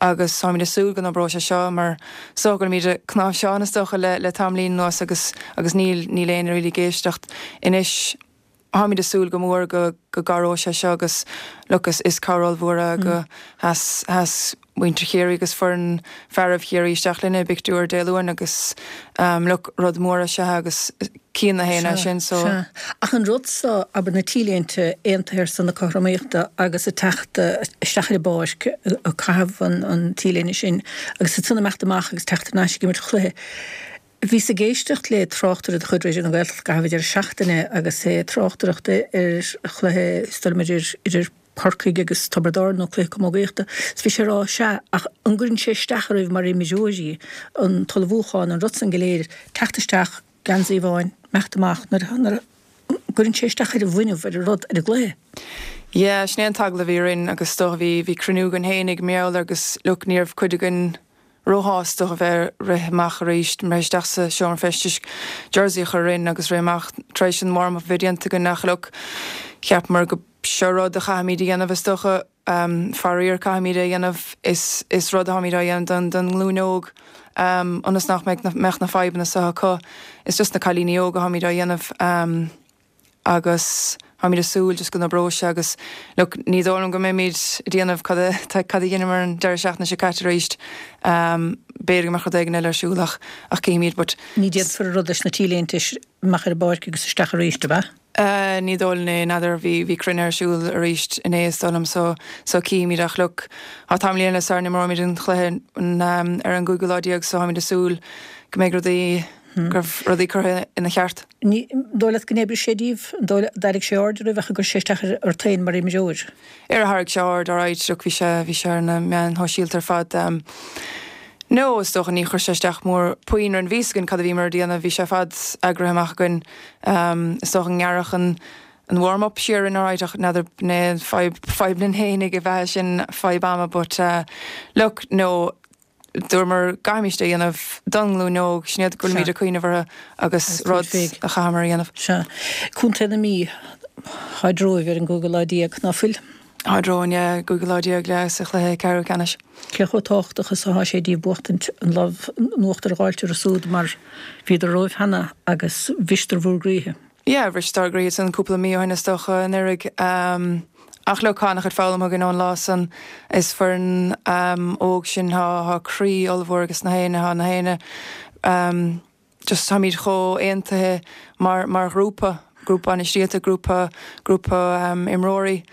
agus táimid ag súil go n-oibreoidh sé seo mar is dócha go bhfuilimid ag cnáimhseán is dócha le le tamaillín anuas agus agus níl níl éinne really ag éisteacht anois. Táimid ag súil go mór go go gcabhróidh sé seo agus look is is cabhair ollmhór é go sheas sheas muintir Chiarraí agus foireann fearaibh Chiarraí isteach linne i bpictiúr Dé Luain agus look rud mór is ea é agus cíonn na héinne é sin so. Sea. Ach an rud so, abair na T-léinte aontaithe ar son na cothromaíochta agus ag teacht isteach ar an bpáirc ag caitheamh an T-léine sin agus ansan imeacht amach agus teacht thar n-ais ag imirt chluiche. Bhíos ag éisteacht le tráchtaire de chuid Raidió na Gaeltachta i gcaitheamh an deireadh seachtaine agus é ag tráchtaireacht ar chluiche, is dóigh liom idir, idir Corcaigh agus Tiobraid Árann nó cluiche camógaíochta, is bhí sé ag rá, sea, ach an gcuireann sé isteach oraibh mar imreoirí, an t-ullmhúchán, an rud san go léir, teacht isteach, geansaí amháin, imeacht amach, nuair a, nuair a, gcuireann sé isteach ar an bhfuinneamh, ar an rud, ar an gcluiche. Yeah, sin é an t-agallamh a bhí orainn agus is dócha bhí, bhí cruinniú againn fhéinig mar gheall air agus look, ní raibh cuid againn, róshásta a bheith rith amach arís, rith isteach sa seomra feistis, jersey a chur orainn agus rith amach tar éis an warm-up a bheith déanta againn ach look, cheapamar go seo rud a chaithfimid a dhéanamh is dócha, faraor caithfimid é a dhéanamh, is is rud atáimid á dhéanamh don don nglúin óg ionas nach mbeidh mbeadh na fadhbanna seo acu, is just na cailíní óga atáimid á dhéanamh. agus táimid ag súil just go n-oibreoidh sé agus look ní dóigh liom go mbeimid ag déanamh cad a cad a dheineamar an deireadh seachtaine seo caite arís. B'fhéidir go mbeadh rud éigin eile ar siúl ach ach cífimid but. Ní déanfar an rud leis na T-léinte amach ar an bpáirc agus isteach arís, ab ea? Ní dóigh liom é, n'fheadar, bhí, bhí cruinniú ar siúl arís inné is dóigh liom so, so cífimid ach look, tá tamaillín eile sara n-imreoimid an chluiche ar an gcúigiú lá déag so táimid ag súil go mbeidh rudaí, go raibh rudaí curtha ina cheart. Ní dóigh leat go n-oibrigh sé díobh? An dóigh leat, d'airigh sé aird oraibh ach an gcuir sé isteach ort féin mar imreoir? Ar tharraing sé aird, alright, look bhí sé, bhí sé ar na meáin shóisialta ar fad. No, is dócha, ní chuir sé isteach mór puinn orainn, bhí fhios againn cad a bhíomar ag déanamh, bhí sé ar fad eagraithe amach againn. Is dócha go ngearrfadh an an warm up siar orainn alright ach n'fheadar an é fadhb, fadhb na n-éinne ab ea sin, fadhb ama but look, no, dúramar go gcaithfimís é a dhéanamh don nglúin óg, sin iad go bhfuilimid ag cuimhneamh orthu agus rud a chaitheamar a dhéanamh. Sea. Contae na Mí, táid romhaibh ar an gcúigiú lá déag, ná fuil? Táid romhainn, yeah, gcúigiú lá déag le sa chluiche ceathrú ceannais. Cé chomh tábhachtach is athá sé díobh buachtaint an lámh in uachtar a dh'fháilt orthu súd mar bhíodar romhaibh cheana agus bhriseadar bhúr gcroíthe. Yeah, bhriseadar ár gcroíthe san cúpla mí ó shin is dócha, anuraidh. Ach look, tá an-chuid foghlamtha againn ón lá san. Is foireann óg sinn, tá croí ollmhór ages na héinne, tá na héinne, just táimid chomh aontaithe mar mar ghrúpa, grúpa bainistíochta, grúpa grúpa imreoirí.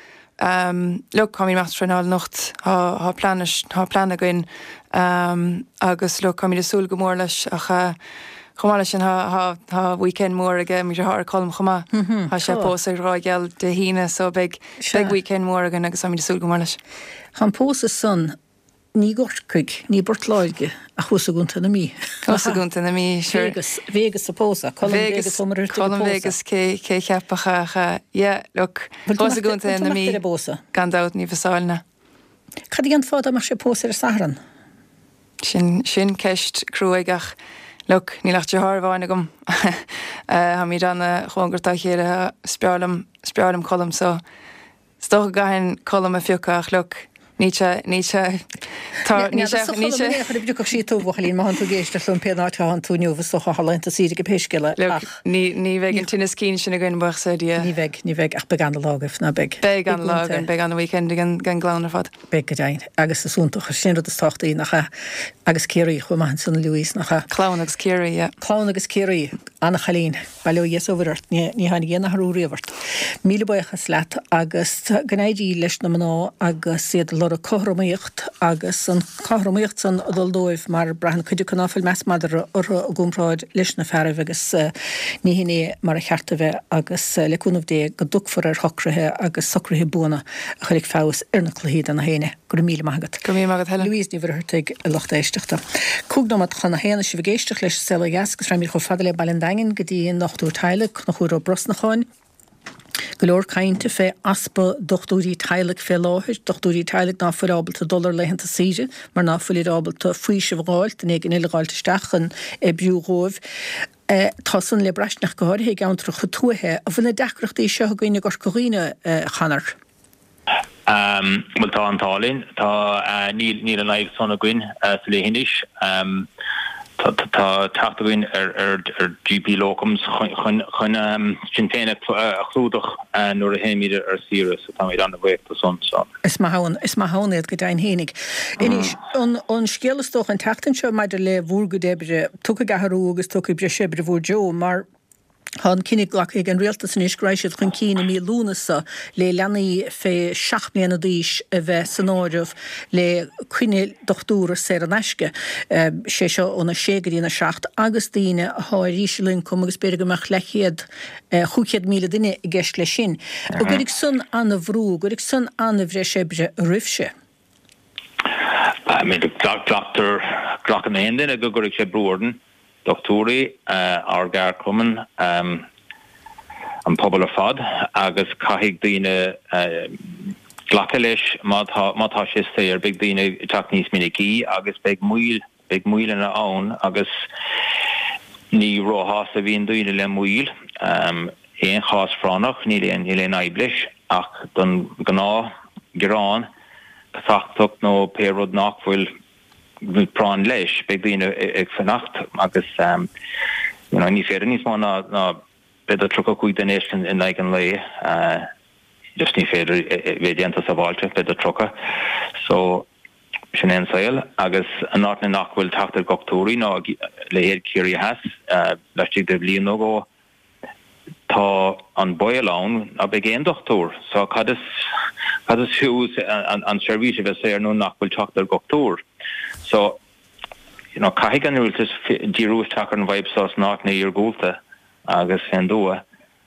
Look, táimid ag imeacht traenáil anocht, tá tá plean tá plean againn agus look, táimid ag súil go mór leis ach chomh maith leis sin tá tá tá weekend mór ag mo dheartháir Colm chomh maith. Tá sé ag pósadh ar Ráth Gheal Dé hAoine so beidh beidh weekend mór againn agus táimid ag súil go mór leis. Tá an pósadh san Ní i gCorcaigh, ní i bPort Láirge, ach thuas i gContae na Mí. Thuas i gContae na Mí, sure. Vegas, Vegas a pósadh, Colm Vegas Ó Muircheartaigh a Colm pósadh. Vegas, cé, cé cheapfadh ach eh, yeah, look, thuas i gContae na Mí, gan dabht ní mhisseáilfinn é. Cad a dhéanfá dá mbeadh sé ag pósadh ar an Satharn? Sin, sin ceist cruaidh ach, look, níl ach deartháir amháin agam. Táimid ana-chóngarach dá chéile, is breá liom, is breá liom Colm so, Is dócha go gcaithfinn Colm a phiocadh ach look, níl sé, níl sé, tá, níl sé, níl sé. Ní chuir a bpriocfadh sí tú, a bhuachaillín, má thánn tú ag éisteacht liom, pé áit a thánn tú inniu, is dócha thá laethanta saoire aige pé scéal é, ach. Look, ní, ní bheidh an tinneas cinn sin againn, buíochas le Dia. Ní bheidh, ní bheidh, ach beidh ana-lá agaibh, ná beidh? Beidh ana-lá againn, beidh ana-weekend ag an, ag an gclann ar fad. Beidh, go deimhin, agus is iontach, sin an rud is tábhachtaí, nach ea? Agus Ciarraí chomh maith ansan, Louise, nach ea? Clann agus Ciarraí, yeah. Clann agus Ciarraí, ana-chailín. Bail ó Dhia is ó Mhuire ort, ní tháinig aon athrú riamh ort. Míle buíochas leat agus go n-éirí leis na mná agus iad ag lorg cothromaíocht agus an cothromaíocht san ag dul dóibh mar braitheann cuid acu ná fuil meas madra orthu i gcomparáid leis na fearaibh agus ní hin é mar a cheart a bheith agus le cúnamh Dé go dtiocfar ar shocruithe agus socruithe buana a chuirfidh feabhas ar na cluichí do na héinne. Go raibh míle maith agat. Go raibh míle maith agat, Helen. Louise Ní Mhuircheartaigh, a lucht éisteachta. 5 nóiméad chun a haon, sibh ag éisteacht leis An Saol Ó Dheas agus raghaimid chomh fada le Baile an Daingin go dtí an dochtúir teaghlaigh, Conchúr Ó Brosnacháin. Go leor cainte fé easpa dochtúirí teaghlaigh fé láthair, dochtúirí teaghlaigh ná fuil ábalta dul ar laethanta saoire mar ná fuilid ábalta faoiseamh a dh'fháilt, duine éigin eile a dh'fháilt isteach chun oibriú dhóibh. Tá san le braistint ach go háirithe i gceantracha tuaithe. An bhfuil na deacrachtaí seo againn i gCorca Dhuibhne, a Chonor? Bhuel, tá an t-ádh linn. Tá, níl, níl an fhadhb san againn sa leithinis. Tá, tá teacht againn ar, ar, ar GP locums chun, chun, chun sinn féin a chlúdach nuair a théimid ar saoire, so táimid an-bhuíoch do san, so. Is maith ann, is maith ann iad go deimhin fhéinig. Anois, an, an scéal is dócha an tseachtain seo maidir le bhúr gcuid oibre, tiocfaidh athrú agus tiocfaidh breis oibre bhúr dtreo mar, Tá an cinneadh glactha ag an Rialtas anois go raghaidh siad chun cinn i mí Lúnasa le leanaí fé 7 mbliana d'aois a bheith san áireamh le coinne dochtúra saor in aisce, sé seo óna 6 go dtí na 7, agus daoine athá ar íseal-ioncam agus b'fhéidir go mbeadh leathchéad, 500,000 duine i gceist leis sin. An gcuirfidh san ana-bhrú, an gcuirfidh san ana-bhreis oibre oraibhse? I mean, glactar, glacann aon duine go gcuirfidh sé brú orainn. dochtúirí, ár gceardchumann, an pobal ar fad agus caithfidh daoine glacadh leis má tá má tá sé saor beidh daoine ag teacht níos minicí agus beidh moill beidh moilleanna ann agus ní róshásta a bhíonn daoine le moill. Aon chás phráinneach níl aon níl aon fhadhb leis ach don ghnáth ghearán, casachtach nó pé rud nach bhfuil práinn leis, beidh daoine ag fanacht agus you know ní féidir níos mó ná ná b'fhéidir 35 duine a fheiscint in aghaidh an lae, just ní féidir bheith déanta sábháilte, b'fhéidir 30. So sin é an saol agus in áiteanna nach bhfuil teacht ar dhochtúirí ná leithéid Ciarraí Theas laistigh de bhliain nó dhó. Tá an baol ann ná beidh aon dochtúir, so cad is cad is fiú an seirbhís a bheith saor nuair nach bhfuil teacht ar dhochtúir? So, you know, caithfidh an rialtas díriú isteach ar an bhfadhb seo sna áiteanna iargúlta agus fén dtuath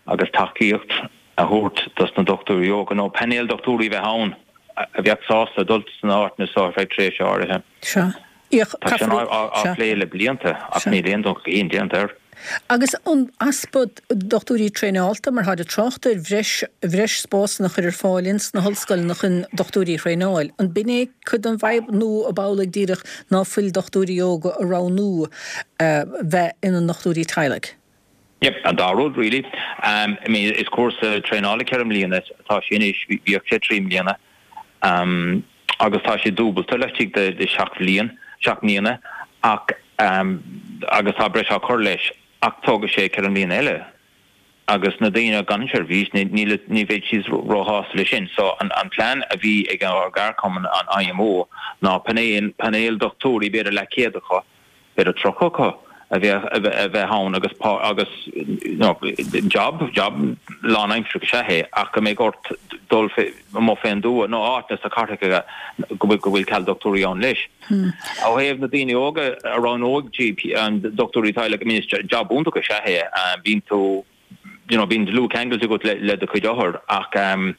agus tacaíocht a thabhairt dos na dochtúirí óga nó painéal dochtúirí a bheith ann a bheadh sásta dul sna áiteanna seo ar feadh tréimhse áirithe. Sea. Tá sin á phlé le blianta ach níl aon dul chun cinn déanta air. Agus an easpa dochtúirí traenáilte, mar táid ag trácht ar bhreis bhreis spásanna a chur ar fáil ins na hollscoileanna chun dochtúirí a thraenáil, an b'in é cuid den bhfadhb nó ab amhlaidh díreach ná fuil dochtúirí óga ag roghnú bheith ina ndochtúirí teaghlaigh? Yep, an dá rud really. I mean is cúrsa traenála 4 mbliana atá sé anois, bhíodh sé 3 mbliana agus tá sé dúbalta laistigh de 7 bhliain, 7 mbliana ach agus tá breis á cur leis ach tógfaidh sé 4 mbliana eile agus na daoine gan seirbhís ní ní bheidh siad róshásta leis sin. So an an plean a bhí ag ár gceardchumann an IMO ná painéal painéal dochtúirí b'fhéidir leathchéad acu b'fhéidir 30 acu a bheadh a bheith ann agus pá agus you know job job lánaimseartha is ea é ach go mbeidh ort dul amuigh fén dtuath nó áiteanna sna cathracha go bhfuil go bhfuil ceal dochtúirí ann leis. Ó thaobh na daoine óga a roghnóidh GP an dochtúirí teaghlaigh I mean is job iontach is ea é bíonn tú you know, bíonn dlúthcheangailt agat le, le do chuid othar ach um,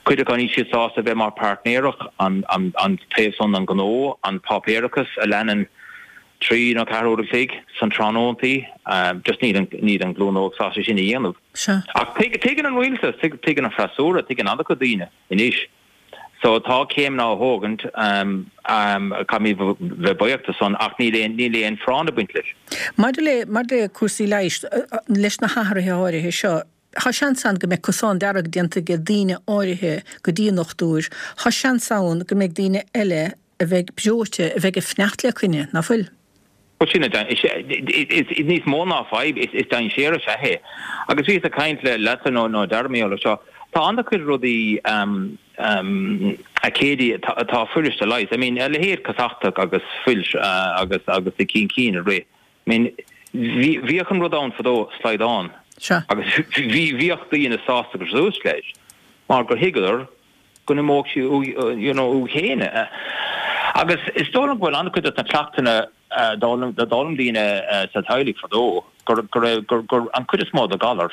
cuid acu níl siad sásta bheith mar páirtnéireach an, an, an taobh san an gnó, an páipéarachas a leanann trí nó ceathair uair a chloig san tráthnóntaí, um, just níl an, níl an glúin óg sásta sin a dhéanamh. Sea. Ach tuig, tuigeann an rialtas, tuig, tuigeann an freasúra, tuigeann an-chuid daoine anois. So tá céimeanna á thógaint, caithfimid bheith buíoch de san ach níl aon, níl aon phráinn ag baint leis. Maidir le, maidir le cúrsaí leighis, leis na hathruithe áirithe seo, tá seans ann go mbeidh cosán dearg déanta ag daoine áirithe go dtí an ndochtúir, tá seans ann go mbeidh daoine eile a bheidh breoite, a bheidh ag fanacht le coinne, ná fuil? Bhuel, sin é, is níos mó ná fadhb, is dainséar is ea é. Agus bhíos ag caint le leatsa nó nó Dara mar gheall air seo, tá an-chuid rudaí a Katie atá fuirist a leigheas. I mean, a leithéid casachtach agus fuil agus agus na cinn cinn a rith. I mean, bhí bhíodh an rud ann fadó, slaghdán. Sea. Agus bhí bhíodh daoine sásta go suas leis mar gur thuigeadar go n-imeodh sí you know uaidh féin. Agus is dóigh liom go bhfuil an-chuid de na cleachtanna a d'fhoghlaim daoine sa teaghlaigh fadó, gur go raibh gur gur an chuid is mó de ghalair,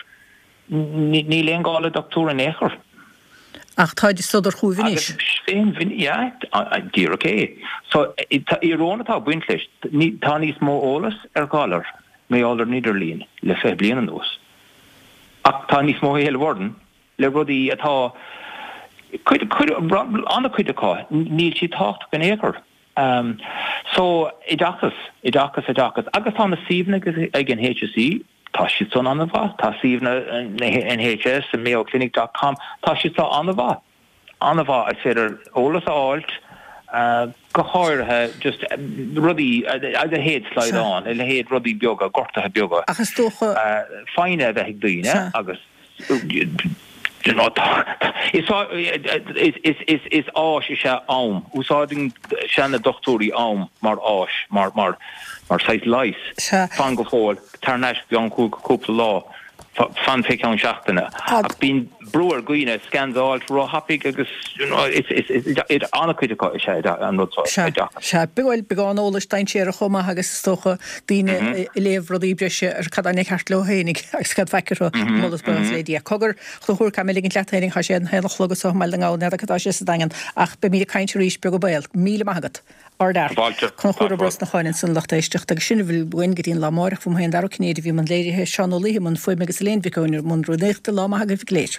níl aon ghá le dochtúir in aon chor. Ach táid ag sodar chugaibh anois. Agus féin, yeah, díreach é. So, íoróin atá ag baint leis, tá níos mó eolas ar ghalair mar gheall ar an idirlíon le 20 bliain anuas. Ach tá níos mó éileamh orainn le rudaí atá, cuid, cuid, an-chuid acu, níl siad tábhachtach in aon chor. So, oideachas, oideachas, oideachas. Agus tá na suíomhanna ag an HSE, tá siad san an-mhaith, tá suíomhanna na NHS, mayoclinic dot com, tá siad seo an-mhaith. An-mhaith, is féidir eolas a fháilt, go háirithe just rudaí, a leithéid slaghdán, a leithéid rudaí beaga, gortuithe beaga. Ach is dócha. Foighne a bheith ag daoine agus. Is áis is ea am. Úsáideann seana-dochtúirí am mar áis, mar saghas leighis. Fan go fóill, tar thar n-ais i gceann cúpla lá, fan fé cheann seachtaine. Ach bíonn brú ar dhaoine scans a fháilt ró-thapaidh agus is an-chuid acu is ea an rud seo, oideachas. Sea, bhuel, beagán eolais dainséarach chomh maith agus is dócha daoine ag léamh rudaí breise ar cad é ceart leo féinig agus cad faic orthu, moladh is buíochas le Dia. Cogar, a Chonchúir, caithfidh mé ligint leat féinig, tá sé an haon a chlog anso i mBaile na nGall, n'fheadar cad tá sé sa Daingean, ach beimid ag caint arís beag an baol. Míle maith agat. Ardfhear. Fáilte. Conchúr Ó Brosnacháin ansan a lucht éisteachta agus sin a bhfuil uainn go dtí an lá amáireach. Uaim féin Dara Ó Cinnéide a bhí i mbun léirithe, Seán Ó Laoithe i mbun fuaime agus Elaine Mhic Eoin i mbun rúnaíochta. Lá maith agaibh go léir.